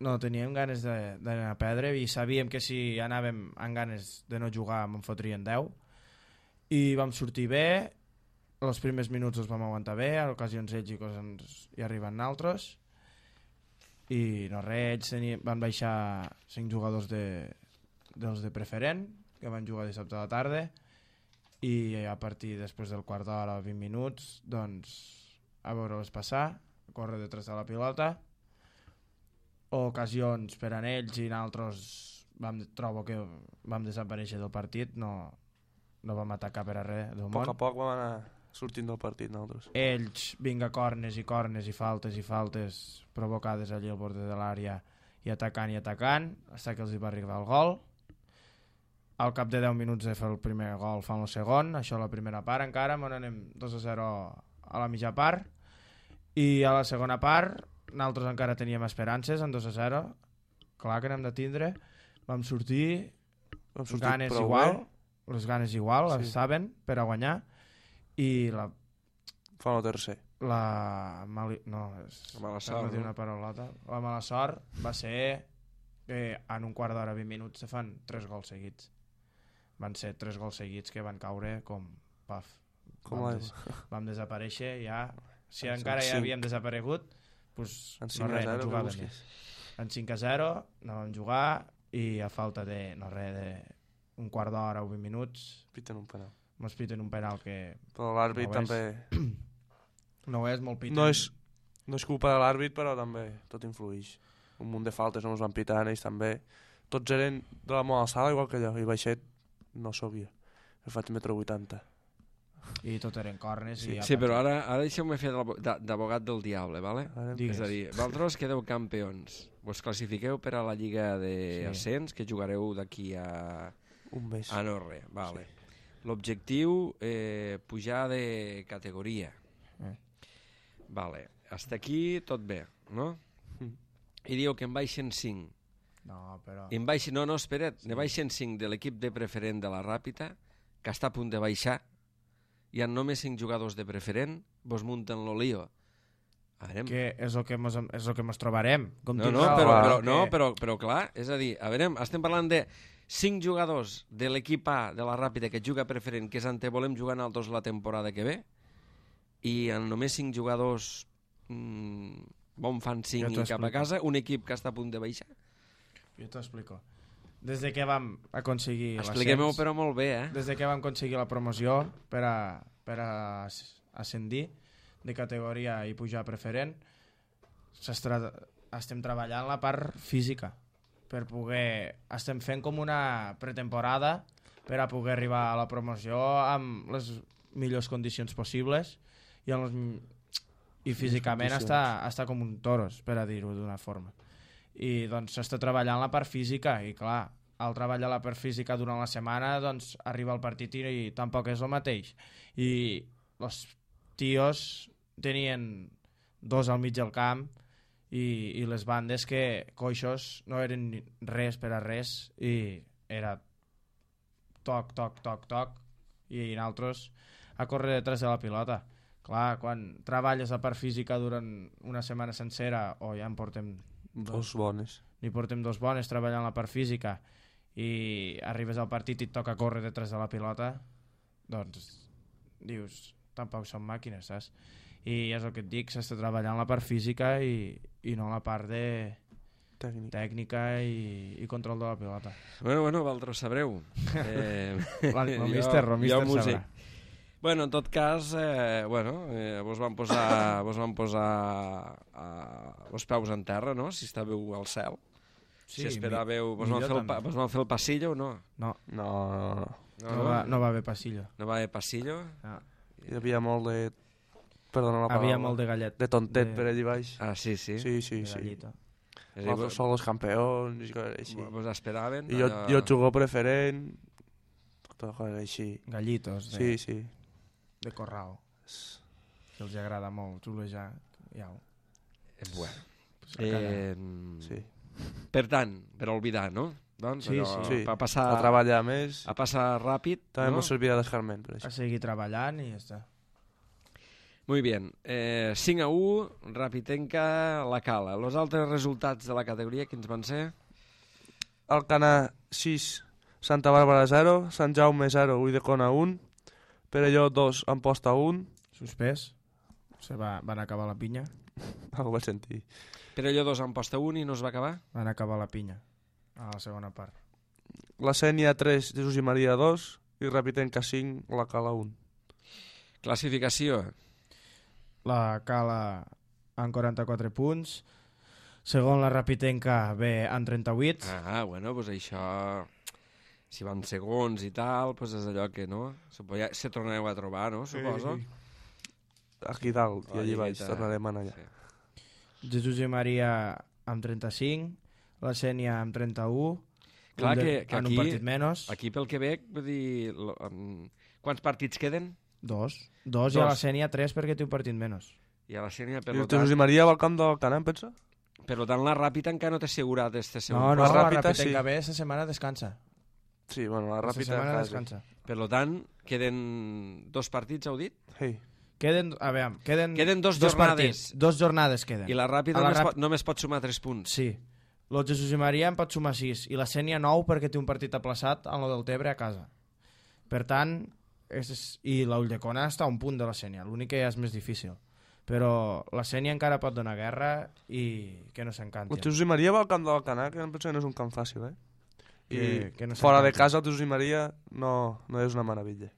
no teníem ganes de- d'anar a perdre i sabíem que si anàvem amb ganes de no jugar me'n fotrien deu. I vam sortir bé, els primers minuts els vam aguantar bé, a ocasions ells i coses hi arriben altres, i no res, ells tenien, van baixar cinc jugadors de, dels de preferent, que van jugar dissabte a la tarda, i a partir després del quart d'hora, vint minuts, doncs a veure-les passar, a córrer detrás de la pilota, ocasions per a ells i nosaltres vam, trobo que vam desaparèixer del partit, no, no vam atacar per a res del A poc món. a poc vam anar sortint del partit nosaltres. Ells vinga cornes i cornes i faltes i faltes provocades allí al borde de l'àrea i atacant i atacant fins que els hi va arribar el gol. Al cap de deu minuts de fer el primer gol fan el segon, això a la primera part encara, on anem dos a zero a la mitja part, i a la segona part nosaltres encara teníem esperances en dos a zero, clar que n'hem de tindre, vam sortir, Vam sortir ganes prou igual, bé. les ganes igual, Sí. les saben, per a guanyar, i la Fan el tercer. la mali... no, és... La mala per sort, no dir no? una paraulota. La mala sort va ser que en un quart d'hora, vint minuts, se fan tres gols seguits. Van ser tres gols seguits que van caure com paf. Com vam, l'aigua. vam desaparèixer ja. Si En encara ja cinc. havíem desaparegut, pues, En no cinc a res, no zero, que jugàvem busquis. més. En cinc a zero no vam jugar i a falta de, no res, de un quart d'hora o vint minuts Piten un penal. mos piten un penal que Però l'àrbit No ho és. també... no ho és, molt piten. No és, no és culpa de l'àrbit, però també tot influeix. Un munt de faltes no ens van pitar, ells també. Tots eren de la meva alçada, igual que allò. I baixet no sabia. Que faig metro vuitanta. I tot eren cornes. Sí, i Sí, però ara, ara deixeu-me fer d'abo- d'abogat del diable, ¿vale? Ara em- Digues. És a dir, vosaltres quedeu campions. Vos classifiqueu per a la Lliga d'Ascens, que jugareu d'aquí a... Un mes. a no res, vale. L'objectiu, eh, pujar de categoria. Eh. Vale, hasta aquí tot bé, no? Mm. I diu que en baixen cinc. No, però... En baixen, no, no, espera't, ne baixen cinc de l'equip de preferent de la Ràpita, que està a punt de baixar. Hi ha només cinc jugadors de preferent, vos munten lo lío. A veure, Que és el que mos, és el que mos trobarem. Com no, tu no, dius, però, que- però, no però, però clar, és a dir, a veure, estem parlant de cinc jugadors de l'equip A de la Ràpida que juga preferent, que és ante volem jugar nosaltres la temporada que ve, i en només cinc jugadors mmm, bon fan cinc Jo i t'ho cap a explico. casa, un equip que està a punt de baixar. Jo t'ho explico. Des de que vam aconseguir Expliquem-ho l'ascens, però molt bé, eh? des de que vam aconseguir la promoció per a, per a as- ascendir de categoria i pujar a preferent, s'estra- estem treballant la part física per poder... Estem fent com una pretemporada per a poder arribar a la promoció amb les millors condicions possibles i, amb les, i físicament condicions. està, està com un toros, per a dir-ho d'una forma. I doncs s'està treballant la part física i clar, al treballar la part física durant la setmana doncs arriba el partit i, i tampoc és el mateix. I els tios tenien dos al mig del camp i, i les bandes que coixos no eren ni res per a res i era toc, toc, toc, toc i nosaltres a córrer detrás de la pilota. Clar, quan treballes la part física durant una setmana sencera o ja en portem Dos bones. n'hi portem dos bones treballant la part física i arribes al partit i et toca córrer detrás de la pilota, doncs dius, tampoc són màquines, saps? I és el que et dic, s'està treballant la part física i, i no la part de Tècnic. tècnica i, i control de la pilota. Bueno, bueno, vosaltres sabreu. Eh, La- lo jo- míster, lo jo míster músic. sabrà. Bueno, en tot cas, eh, bueno, eh, vos van posar, vos van posar a, els peus en terra, no?, si estàveu al cel. Sí, si esperàveu... Vos van, millor fer el, pa- també. vos van fer el passillo o no? No, No, no, no. No, no, va, no va haver passillo. no va haver passillo? Ah. Hi havia molt de... Perdona la paraula. Havia molt de gallet. De tontet de- per allí baix. Ah, sí, sí. Sí, sí, de sí. gallita. És a dir, Nosaltres som els campeons i coses així. vos, vos esperaven? I jo, allò- jo jugo preferent, tot coses així. Gallitos de, Sí, sí. de corral. Que els agrada molt xulejar. Ja, Eh, bueno. pues, a cada- Eh, sí. Per tant, per oblidar, no? Doncs Sí, allò, sí. a passar, A treballar més, a passar ràpid, també no? no? servirà d'escarment, per a això. seguir treballant i ja està. Muy bien. Eh, cinc a u, Rapitenca, la Cala. Els altres resultats de la categoria, quins van ser? Alcanar sis, Santa Bàrbara zero, Sant Jaume zero, Ulldecona un, Perelló dos, Amposta un, Suspès. Se va, van acabar la pinya. algo vaig sentir. Però allò dos en posta un i no es va acabar? Van acabar la pinya. A la segona part. La Sènia tres, Jesús i Maria dos, i Rapitenca cinc, la Cala un. Classificació. La Cala amb quaranta-quatre punts. Segon la Rapitenca ve amb trenta-vuit. Ah, bueno, doncs això... Si van segons i tal, doncs és allò que, no? Se, podia, se tornareu a trobar, no? Suposo. Aquí dalt, i La allí baix, lligueta. tornarem a anar allà. Sí. Jesús i Maria amb trenta-cinc. La Sènia amb trenta-u. Clar Un de- que, que en aquí, un partit menys. aquí pel Quebec, vull dir... Lo, um, quants partits queden? Dos. Dos, i a la Dos. Sènia tres perquè té un partit menys. I a la Sènia, per I lo el Jesús tant, i Maria va al camp del Canà, em pensa? per lo tant la Ràpita encara no té assegurat este segon. No, no, la la Ràpita Rapitenca sí. ve, esta setmana descansa. Sí, bueno, la Esta Ràpita setmana quasi. descansa. Per lo tant, queden dos partits, heu dit? Hey. Queden, a veure, queden, Queden dos dos jornades. partits. Dos jornades queden. I la Ràpida A la només, Ràp- pot, només pot sumar tres punts. Sí. El Jesús i Maria en pot sumar sis i la Sènia nou perquè té un partit aplaçat en lo del Tebre a casa. Per tant, és, i la Ulldecona està a un punt de la Sènia, l'únic que ja és més difícil. Però la Sènia encara pot donar guerra i que no s'encanti. El Jesús i Maria va al camp del Canà, que em penso que no és un camp fàcil, eh? I Que- que no fora de s'encanti. casa el Jesús i Maria no, no és una meravella.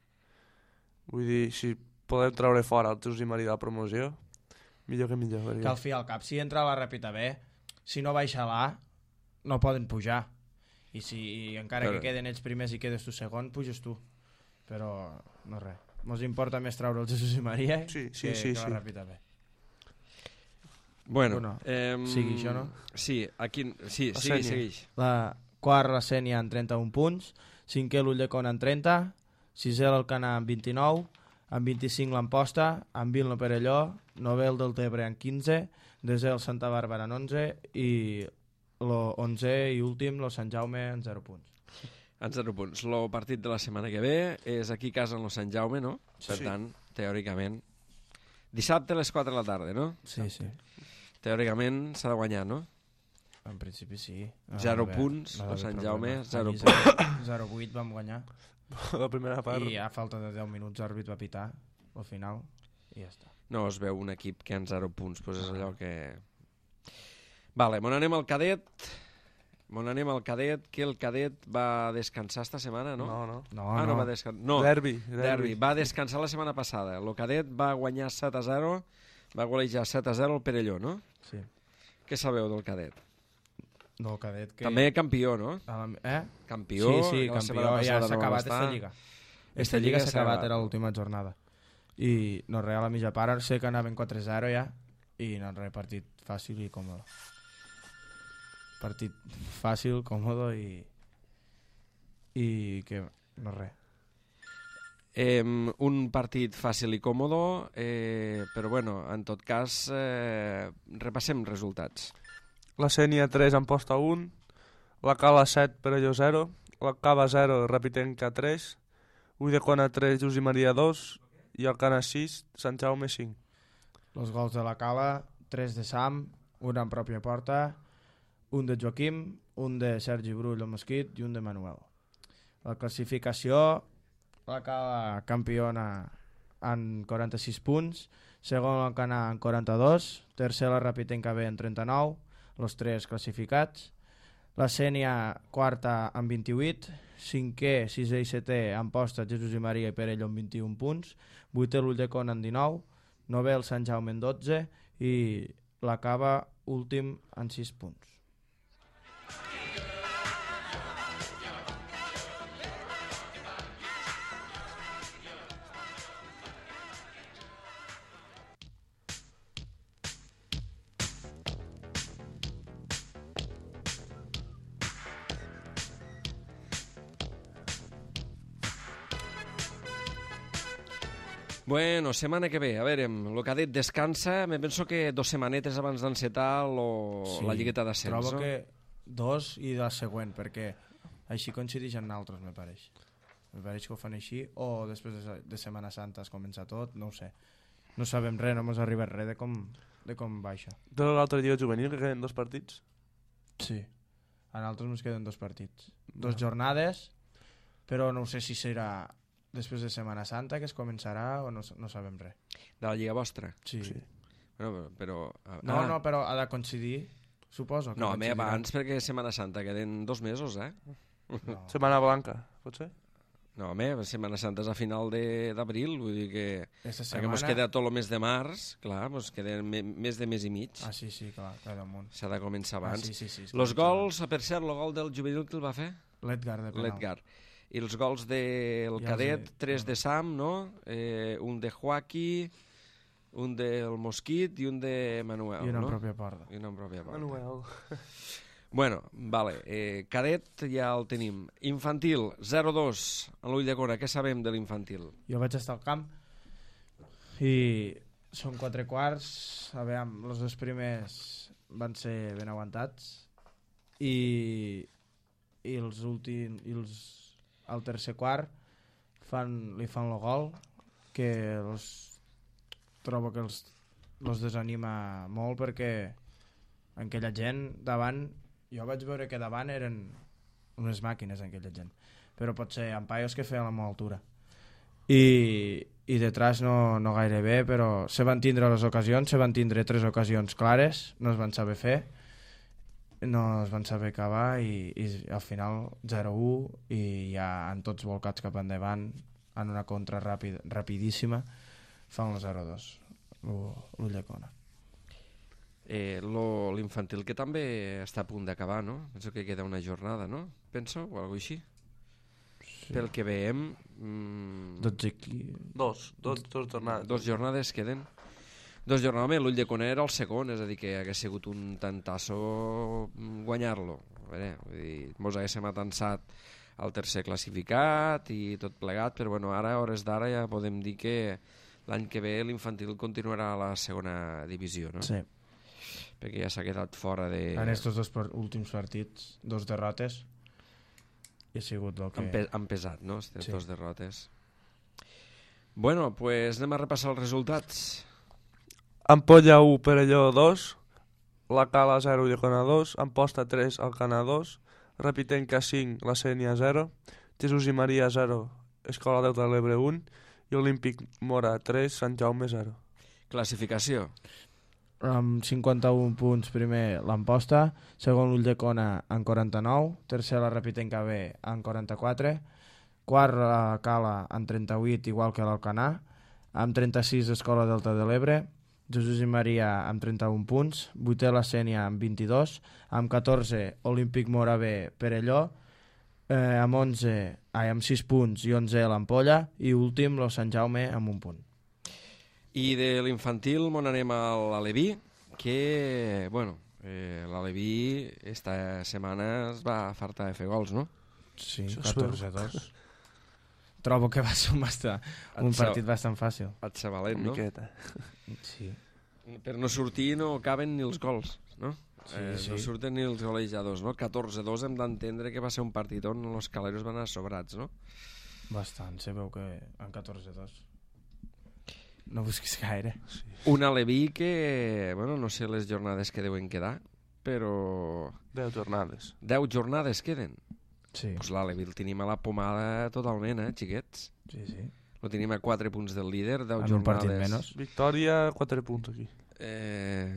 Vull dir, si podem treure fora el Jesús i Maria de la promoció, millor que millor. Que Perquè... al fi i al cap, si entra a la Ràpita B, si no baixa a l'A, no poden pujar. I si i encara Però- que queden ells primers i quedes tu segon, puges tu. Però no res. Mos importa més treure el Jesús i Maria Sí, sí, que, sí, que sí. la Ràpita B. Bueno, Bueno, eh, sigui això, no? Sí, aquí, sí, La sí, Sènia. segueix. La quart la Sènia amb trenta-un punts, cinquè l'Ulldecona amb trenta, sisè l'Alcanar amb vint-i-nou, amb vint-i-cinc l'Amposta, amb vint el Perelló, novè el del Tebre amb quinze, desè el Santa Bàrbara amb onze i l'onzè i últim el Sant Jaume amb zero punts. En zero punts. El partit de la setmana que ve és aquí a casa en el Sant Jaume, no? Per Sí. tant, teòricament... Dissabte a les quatre de la tarda, no? Sí, sí. Teòricament s'ha de guanyar, no? En principi sí. No, Zero a veure, punts, no ha el d'haver Sant problema. Jaume, zero Allí punts. zero vuit vam guanyar La primera part. i a falta de deu minuts l'àrbit va pitar al final i ja està. No es veu un equip que en zero punts, doncs és allò que... Vale, mon anem al cadet. Mon anem al cadet, que el cadet va descansar esta setmana, no? No, no. No, ah, no, no. va descansar. No, Derbi, derbi. derbi. Va descansar la setmana passada. El cadet va guanyar set a zero, va golejar set a zero el Perelló, no? Sí. Què sabeu del cadet? No, el cadet que... També campió, no? A la... Eh? Campió. Sí, sí, que la campió, setmana ja passada s'ha no va acabat estar. esta lliga. Esta Esta lliga lliga s'ha s'ha acabat, acabat. era l'última jornada. I no res, a la mitja part sé que anaven quatre zero ja i no res, partit fàcil i còmode. Partit fàcil, còmode i i que no res. Eh, un partit fàcil i còmodo, eh, però bueno, en tot cas, eh, repassem resultats. La Sènia tres, Amposta un, la Cala set, Perelló zero, la Cava zero, Rapitenca tres, Ulldecona tres, Jesús i Maria dos i Alcanar sis, Sant Jaume cinc. Els gols de la Cala, tres de Sam, un en pròpia porta, un de Joaquim, un de Sergi Brull o Mosquit i un de Manuel. La classificació, la Cala campiona en quaranta-sis punts, segon l'Alcanar en quaranta-dos, tercer la Rapitenca B en trenta-nou, els tres classificats, La Sénia quarta amb vint-i-vuit, cinquè, sisè i setè Amposta, Jesús i Maria i Perelló amb vint-i-un punts, vuitè l'Ulldecona amb dinou, novè el Sant Jaume amb dotze i la Cava últim amb sis punts. Bueno, setmana que ve, a veure, el cadet descansa, me penso que dos setmanetes abans d'encetar lo... sí, la lligueta d'ascens, no? Trobo que dos i la següent, perquè així coincideix amb nosaltres, me pareix. Me pareix que ho fan així, o després de, de Setmana Santa es comença tot, no ho sé. No sabem res, no ens arriba res de com, de com va això. De l'altra lliga juvenil que queden dos partits? Sí, a nosaltres ens queden dos partits. Dos jornades, però no sé si serà després de Setmana Santa que es començarà o no, no sabem res. De la lliga vostra? Sí. sí. Bueno, però... Ah. No, no, però ha de coincidir, suposo. Que no, a mi abans, perquè Setmana Santa queden dos mesos, eh? No. Setmana Blanca, pot ser? No, home, Setmana Santa és a final d'abril, vull dir que... Esta setmana... Perquè ens queda tot el mes de març, clar, ens queda me, més de mes i mig. Ah, sí, sí, clar, clar damunt. S'ha de començar abans. Ah, sí, sí, sí, Los gols, per cert, el gol del juvenil que el va fer? L'Edgar de penal. L'Edgar. I els gols del ja cadet, de... tres de Sam, no? Eh, un de Joaquí, un del Mosquit i un de Manuel, I una no? en pròpia porta. I una en pròpia porta. Manuel. Bueno, vale. Eh, cadet ja el tenim. Infantil, zero dos a l'Ulldecona. Què sabem de l'infantil? Jo vaig estar al camp i són quatre quarts. A veure, els dos primers van ser ben aguantats i, i els últims... I els, al tercer quart fan, li fan el gol que els, trobo que els, els desanima molt perquè aquella gent davant, jo vaig veure que davant eren unes màquines aquella gent, però pot ser ampaios que feien a la meva altura i, i detrás no, no gaire bé, però se van tindre les ocasions, se van tindre tres ocasions clares, no es van saber fer, no es van saber acabar i, i al final zero u i ja han tots volcats cap endavant en una contra ràpid, rapidíssima fan el zero dos l'Ulldecona. Eh, l'infantil que també està a punt d'acabar, no? Penso que queda una jornada, no? Penso, o alguna així. Sí. Pel que veiem... Mmm... dotze qui... Dos, dos, dos jornades. Dos jornades queden. Dos jornades, l'Ulldecona era el segon, és a dir, que hagués sigut un tantasso guanyar-lo. A veure, vull dir, mos haguéssim atansat al tercer classificat i tot plegat, però bueno, ara, a hores d'ara, ja podem dir que l'any que ve l'infantil continuarà a la segona divisió, no? Sí. Perquè ja s'ha quedat fora de... En estos dos últims partits, dos derrotes, i ha sigut el que... Han, pe han pesat, no?, aquestes sí. dos derrotes. Bueno, pues anem a repassar els resultats. Ampolla u, Perelló dos, la Cala zero, Ulldecona dos, Amposta tres, Alcanar dos, Repitenca cinc, la Sénia zero, Jesús i Maria zero, Escola Delta de l'Ebre un i Olímpic Mora tres, Sant Jaume zero. Classificació. Amb cinquanta-un punts primer l'Amposta, segon l'Ulldecona amb quaranta-nou, tercer la Repitenca B amb quaranta-quatre, quart la Cala amb trenta-vuit igual que l'Alcanar, amb trenta-sis Escola Delta de l'Ebre, Jesús i Maria amb trenta-un punts, vuitè la Sénia amb vint-i-dos, amb catorze Olímpic Mora B Perelló, eh, amb onze, ai, amb sis punts i onze l'Ampolla i últim el Sant Jaume amb un punt. I de l'infantil on anem a l'Aleví, que, bueno, eh, l'Aleví esta setmana es va fartar de fer gols, no? Sí, catorze a dos. Trobo que va ser un, bastant, un partit bastant fàcil. Et ser valent, no? Miqueta. Sí. Per no sortir no caben ni els gols, no? Sí, eh, sí. No surten ni els golejadors, no? catorze a dos hem d'entendre que va ser un partit on els caleros van anar sobrats, no? Bastant, se veu que en catorze a dos. No busquis gaire. Sí. Un Aleví que, bueno, no sé les jornades que deuen quedar, però... Deu jornades. Deu jornades queden. Sí. Pues l'Aleví el tenim a la pomada totalment, eh, xiquets? Sí, sí. Lo tenim a quatre punts del líder, deu En un partit jornades. menys. Victòria, quatre punts aquí. Eh,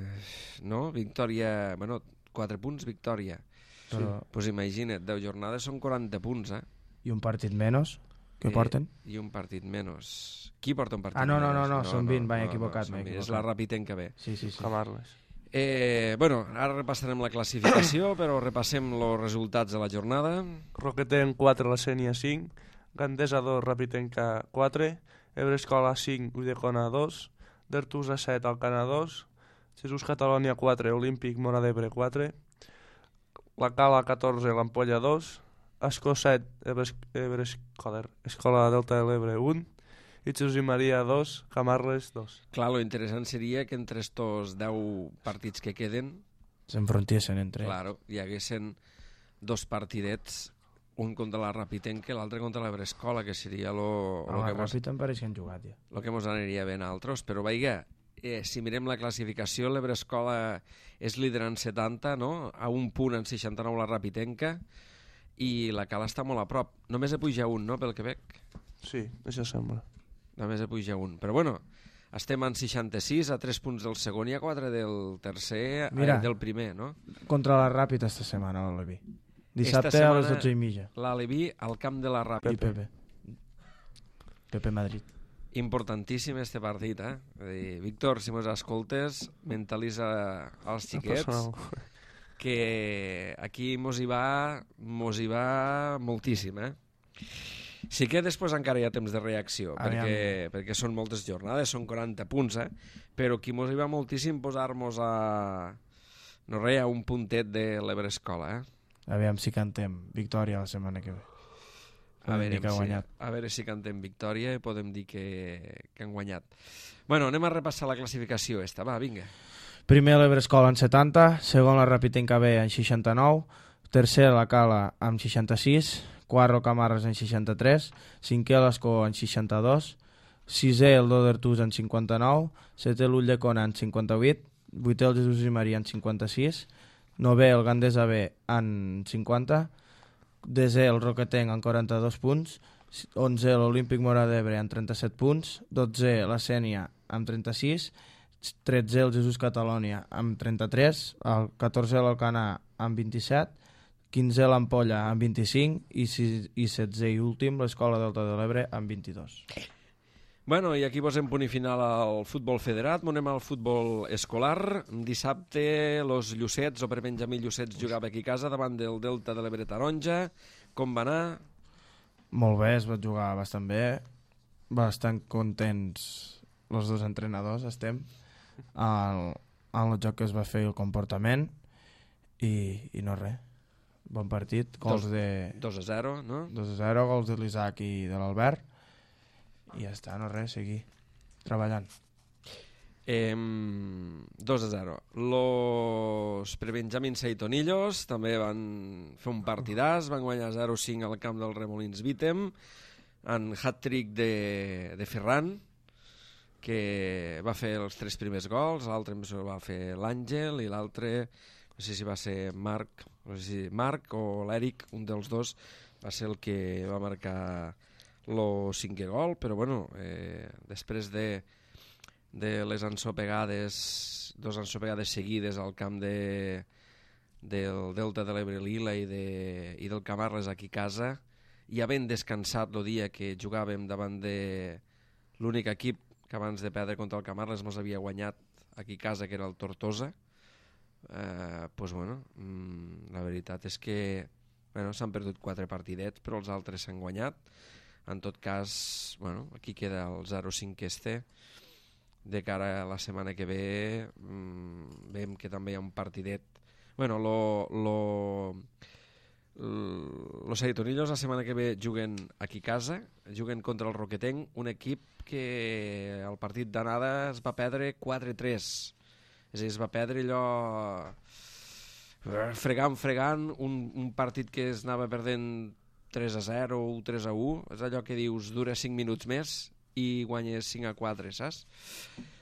no, victòria... Bueno, quatre punts, victòria. Però... Doncs pues imagina't, deu jornades són quaranta punts, eh? I un partit menys que Eh, porten. I un partit menys. Qui porta un partit Ah, no, no, menys? no, no, són vint, m'he equivocat, són m'he vint, És equivocat. la Rapitenca B. Sí, sí, sí. Camarles. Eh, bueno, ara repassarem la classificació, però repassem els resultats de la jornada. Roquetenc quatre, la Sènia cinc, Gandesa dos, Rapitenca quatre, Ebrescola cinc, Ulldecona dos, Dertusa set, Alcana dos, Jesús Catalònia quatre, Olímpic Mora d'Ebre quatre, La Cala catorze, l'Ampolla dos, Escó set, Ebres, Ebres, joder, Escola Delta de l'Ebre un, i Jesús i Maria dos, Camarles dos. Clar, lo interessant seria que entre estos deu partits que queden, S'enfrontiesen entre ells. claro, hi haguessin dos partidets, un contra la Rapitenca i l'altre contra la Brescola, que seria lo, Ah, lo, que el mos, Ràpid em pareix que han jugat ja. lo que mos aniria bé a altres. Però veiga, eh, si mirem la classificació, la Brescola és líder en setanta, no? A un punt en seixanta-nou la Rapitenca, i la Cala està molt a prop. Només hi puja un, no?, pel Quebec. Sí, això sembla. Només hi puja un. Però bueno, estem en seixanta-sis, a tres punts del segon i a quatre del tercer, Mira. eh, del primer, no? Contra la Ràpid esta setmana, l'Alevi. Dissabte Esta a les setmana- dotze i mitja. L'Aleví al camp de la I Ràpid. Pepe. Pepe Madrid. Importantíssim este partit, eh? És a dir, Víctor, si mos escoltes, mentalitza als xiquets Personal. que aquí mos hi va, mos hi va moltíssim, eh? Sí que després encara hi ha temps de reacció, Aviam. perquè, perquè són moltes jornades, són quaranta punts, eh? Però aquí mos hi va moltíssim posar-nos a... no res, a un puntet de l'Ebrescola, eh? Aviam si cantem victòria la setmana que ve. A Podem veure, dir que ha si, guanyat. a veure si cantem victòria i podem dir que, que han guanyat. Bueno, anem a repassar la classificació esta, va, vinga. Primer l'Ebrescola en setanta, segon la Rapitenca B en seixanta-nou, tercer la Cala amb seixanta-sis, quart el Camarles en seixanta-tres, cinquè l'Escó en seixanta-dos, sisè el Dodertus en cinquanta-nou, setè l'Ulldecona en cinquanta-vuit, vuitè el Jesús i Maria en cinquanta-sis, novè el Gandesa B en cinquanta, desè el Roquetenc en quaranta-dos punts, onzè l'Olímpic Mora d'Ebre en trenta-set punts, dotzè la Sènia amb trenta-sis, tretzè el Jesús Catalònia amb trenta-tres, el catorzè l'Alcanar amb vint-i-set, quinzè l'Ampolla amb vint-i-cinc i, sis, i setzè i últim l'Escola Delta de l'Ebre amb vint-i-dos. Bueno, i aquí posem punt i final al futbol federat, anem al futbol escolar. Dissabte, los Llucets, o per Benjamí Llucets, jugava aquí a casa davant del Delta de l'Ebre Taronja. Com va anar? Molt bé, es va jugar bastant bé, bastant contents els dos entrenadors estem al, en el joc que es va fer i el comportament i, i no res, bon partit, gols Dos- de dos a zero, no? dos a zero, gols de l'Isaac i de l'Albert i ja està, no res, seguir treballant. Eh, dos a zero. Los prebenjamins Seitonillos també van fer un partidàs, van guanyar zero a cinc al camp del Remolins Vítem, en hat-trick de, de Ferran, que va fer els tres primers gols, l'altre em sembla que va fer l'Àngel i l'altre, no sé si va ser Marc, no sé si Marc o l'Eric, un dels dos, va ser el que va marcar el cinquè gol, però bueno, eh, després de, de les ensopegades, dos ensopegades seguides al camp de, del Delta de l'Ebre Lila i, de, i del Camarles aquí a casa, i havent descansat el dia que jugàvem davant de l'únic equip que abans de perdre contra el Camarles mos havia guanyat aquí a casa, que era el Tortosa, eh, pues bueno, mmm, la veritat és que bueno, s'han perdut quatre partidets, però els altres s'han guanyat. En tot cas, bueno, aquí queda el zero a cinc que es té. De cara a la setmana que ve, mmm, veiem que també hi ha un partidet. Bueno, lo, lo, los Seitonillos la setmana que ve juguen aquí a casa, juguen contra el Roquetenc, un equip que el partit d'anada es va perdre quatre a tres. És a dir, es va perdre allò fregant, fregant, un, un partit que es anava perdent tres a zero o tres a u, és allò que dius dura cinc minuts més i guanyes cinc a quatre, saps?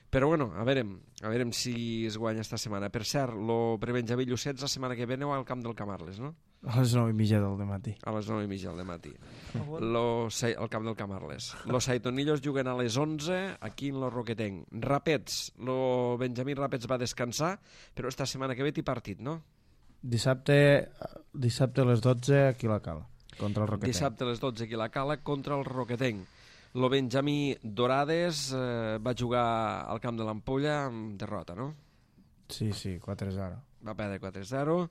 Però bueno, a veurem, a veurem si es guanya esta setmana. Per cert, lo prebenjamí Llucets la setmana que ve aneu al camp del Camarles, no? A les nou i mitja del dematí. A les nou i mitja del matí. Lo, al camp del Camarles. Los Saitonillos juguen a les onze aquí en lo Roquetenc. Rapets, lo Benjamí Rapets va descansar, però esta setmana que ve té partit, no? Dissabte, dissabte a les dotze aquí a la Cala, contra el Roquetenc. Dissabte a les dotze aquí a la Cala contra el Roquetenc. Lo Benjamí Dorades eh, va jugar al camp de l'Ampolla amb derrota, no? Sí, sí, quatre zero. Va perdre quatre zero.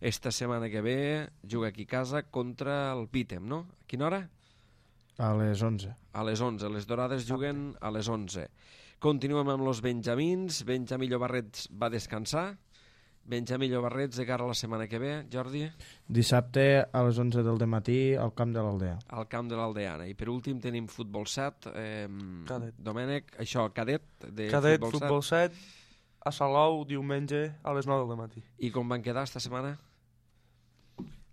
Esta setmana que ve juga aquí a casa contra el Pítem, no? A quina hora? A les onze. A les onze. Les Dorades juguen a les onze. Continuem amb els Benjamins. Benjamí Llobarrets va descansar. Benjamí Llobarrets de cara a la setmana que ve, Jordi? Dissabte a les onze del dematí al camp de l'Aldea. Al camp de l'Aldeana. I per últim tenim Futbol set. Eh, Cadet. Domènec, això, cadet de Cadet, Futbol, futbol set, a Salou, diumenge, a les nou del matí. I com van quedar esta setmana?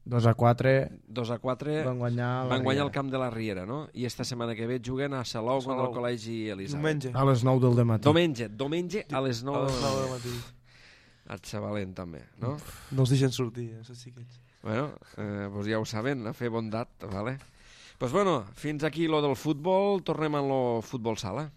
dos a quatre. dos a quatre. Van guanyar, van guanyar el camp de la Riera, no? I esta setmana que ve juguen a Salou, Salou. contra el Col·legi Elisabet. Diumenge. A les nou del dematí. Diumenge, diumenge a les A nou les nou del matí. Et xavalent també, no? No els deixen sortir, eh, els xiquets. Bueno, eh, pues ja ho saben, a fer bondat, vale? Pues bueno, fins aquí lo del futbol, tornem a lo futbol sala.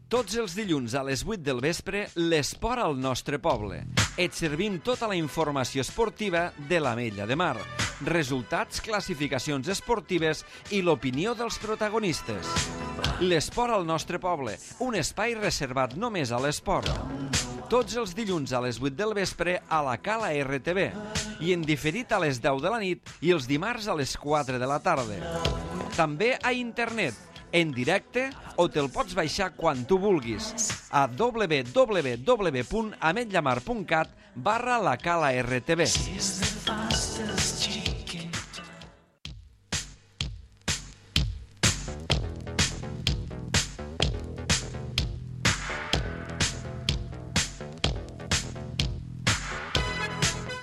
Tots els dilluns a les vuit del vespre, l'esport al nostre poble. Et servim tota la informació esportiva de l'Ametlla de Mar. Resultats, classificacions esportives i l'opinió dels protagonistes. L'esport al nostre poble, un espai reservat només a l'esport. Tots els dilluns a les vuit del vespre a la Cala R T V i en diferit a les deu de la nit i els dimarts a les quatre de la tarda. També a internet, en directe o te'l pots baixar quan tu vulguis a w w w punt ametllamar punt cat barra la Cala R T V.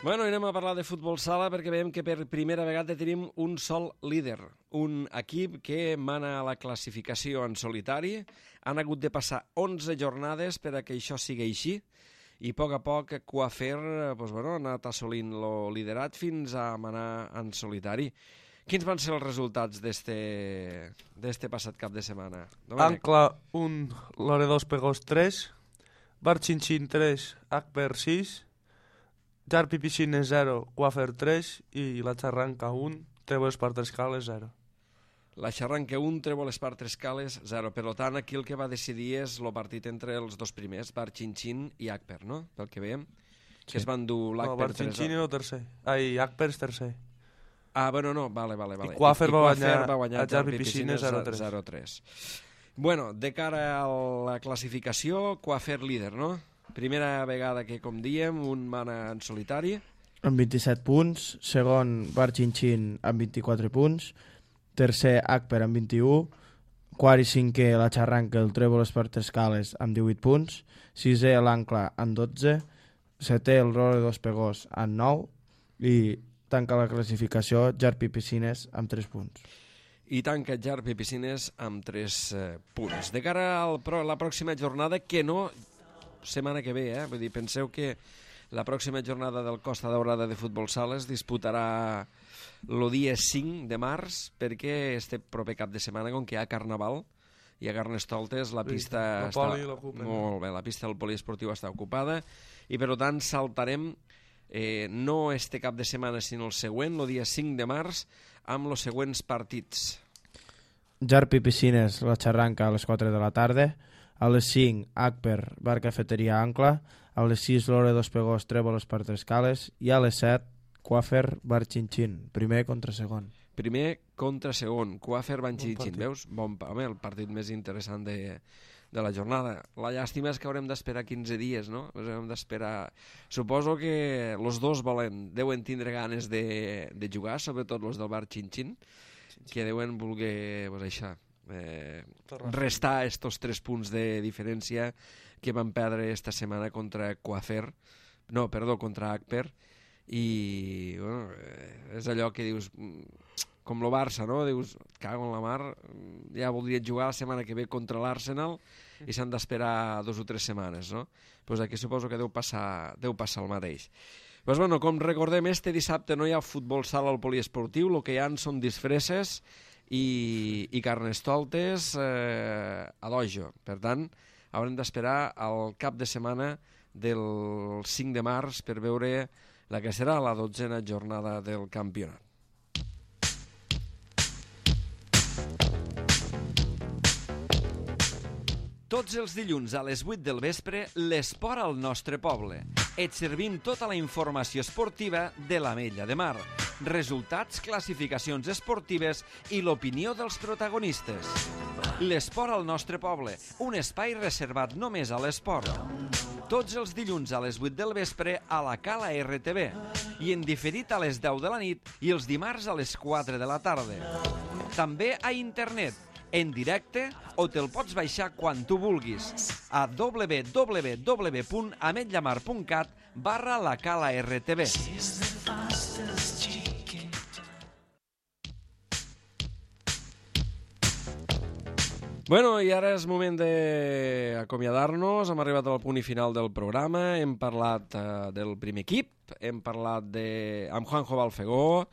Bueno, anem a parlar de futbol sala perquè veiem que per primera vegada tenim un sol líder, un equip que mana a la classificació en solitari. Han hagut de passar onze jornades per a que això sigui així i a poc a poc Coafer pues, bueno, ha anat assolint el liderat fins a manar en solitari. Quins van ser els resultats d'este passat cap de setmana? Domènec? Ancla un, Loredos Pegós tres, Barchinchín tres, Akper sis, Jarpi Piscines zero, Coafer tres i la Xarranca un, Trèvols Partrescales zero. La Xarranca un, Trèvols Partrescales zero. Per tant, aquí el que va decidir és el partit entre els dos primers, Barchinchín i Akper, no? Pel que veiem, que Sí. es van dur No, l'Akper Barchinchín era el tercer. Ai, Akper és tercer. Ah, bueno, no, vale, vale. vale. I Coafer va guanyar va guanyar a Jarpi Piscines zero tres. zero tres. Bueno, de cara a la classificació, Coafer líder, no? Primera vegada que, com diem, un mana en solitari. Amb vint-i-set punts, segon Barchinchín amb vint-i-quatre punts, tercer Akper amb vint-i-u, quart i cinquè la Xarranca, el Trèvols Partrescales amb divuit punts, sisè l'Ancla amb dotze, setè el Loredos Pegós amb nou i tanca la classificació Jarpi Piscines amb tres punts. I tanca Jarpi Piscines amb tres eh, punts. De cara a la pròxima jornada, que no setmana que ve, eh? Vull dir, penseu que la pròxima jornada del Costa Daurada de Futbol Sala es disputarà el dia cinc de març, perquè este proper cap de setmana, com que hi ha Carnaval, i a Carnestoltes la pista el està... poli l'ocupen. Molt bé, la pista del poliesportiu està ocupada, i per tant saltarem eh, no este cap de setmana, sinó el següent, el dia cinc de març, amb els següents partits. Jarpi Piscines, la Xarranca a les quatre de la tarda, a les cinc Akper, Bar Cafeteria Ancla, a les sis Loredos Pegós, Trèvols Partrescales i a les set Coafer, Barchinchín, primer contra segon. Primer contra segon, Coafer, Barchinchín, Bon veus? Bon, home, el partit més interessant de, de la jornada. La llàstima és que haurem d'esperar quinze dies, no? Haurem d'esperar... Suposo que els dos volen, deuen tindre ganes de, de jugar, sobretot els del Barchinchín, que deuen voler, pues, això, eh, restar estos tres punts de diferència que van perdre esta setmana contra Coafer, no, perdó, contra Akper, i bueno, eh, és allò que dius, com el Barça, no? Dius, cago en la mar, ja voldrien jugar la setmana que ve contra l'Arsenal i s'han d'esperar dos o tres setmanes, no? Pues aquí suposo que deu passar, deu passar el mateix. Pues bueno, com recordem, este dissabte no hi ha futbol sala al poliesportiu, el que hi ha són disfresses i, i Carnestoltes eh, a Dojo. Per tant, haurem d'esperar al cap de setmana del cinc de març per veure la que serà la dotzena jornada del campionat. Tots els dilluns a les vuit del vespre, l'esport al nostre poble. Et servim tota la informació esportiva de l'Ametlla de Mar, resultats, classificacions esportives i l'opinió dels protagonistes. L'esport al nostre poble, un espai reservat només a l'esport. Tots els dilluns a les vuit del vespre a la Cala R T V i en diferit a les deu de la nit i els dimarts a les quatre de la tarda. També a internet, en directe, o te'l pots baixar quan tu vulguis a w w w punt ametllamar punt cat barra la Cala R T V. Bueno, i ara és moment d'acomiadar-nos. Hem arribat al punt i final del programa. Hem parlat eh, del primer equip, hem parlat de... amb Juanjo Balfegó,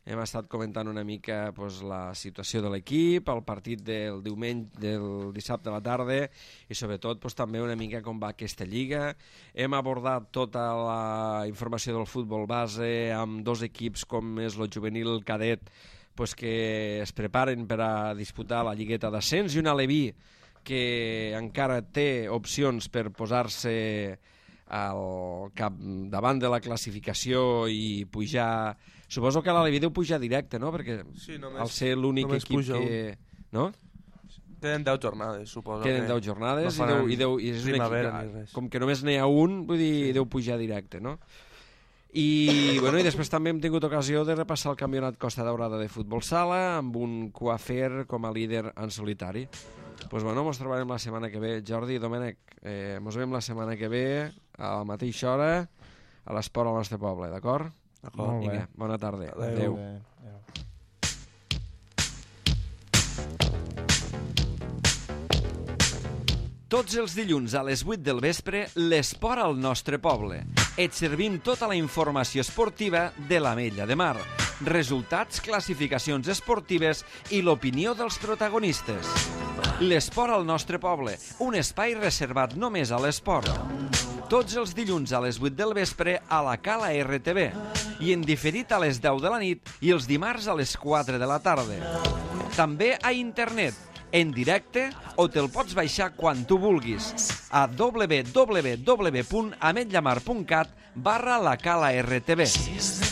hem estat comentant una mica pues, la situació de l'equip, el partit del diumenge, del dissabte a la tarda i sobretot pues, també una mica com va aquesta lliga. Hem abordat tota la informació del futbol base amb dos equips com és el juvenil cadet pues, que es preparen per a disputar la lligueta d'ascens i un Aleví que encara té opcions per posar-se al cap davant de la classificació i pujar... Suposo que l'Aleví deu pujar directe, no? Perquè sí, només, al ser l'únic equip que... No? Queden deu jornades, suposo. Queden deu jornades no i, deu, i, deu, i és un equip... Com que només n'hi ha un, vull dir, sí. Deu pujar directe, no? I, bueno, i després també hem tingut ocasió de repassar el campionat Costa Daurada de futbol sala amb un Coafer com a líder en solitari. Doncs pues, bueno, mos trobarem la setmana que ve. Jordi, Domènec, eh, mos veiem la setmana que ve a la mateixa hora a l'esport al nostre poble, d'acord? D'acord. Vinga, bona tarda. Adéu. Adéu. Adéu. Tots els dilluns a les vuit del vespre, l'esport al nostre poble. Et servim tota la informació esportiva de l'Ametlla de Mar, resultats, classificacions esportives i l'opinió dels protagonistes. L'esport al nostre poble, un espai reservat només a l'esport. Tots els dilluns a les vuit del vespre a la Cala R T V i en diferit a les deu de la nit i els dimarts a les quatre de la tarda. També a internet, en directe, o te'l pots baixar quan tu vulguis a w w w punt ametllamar punt cat barra la Cala R T V.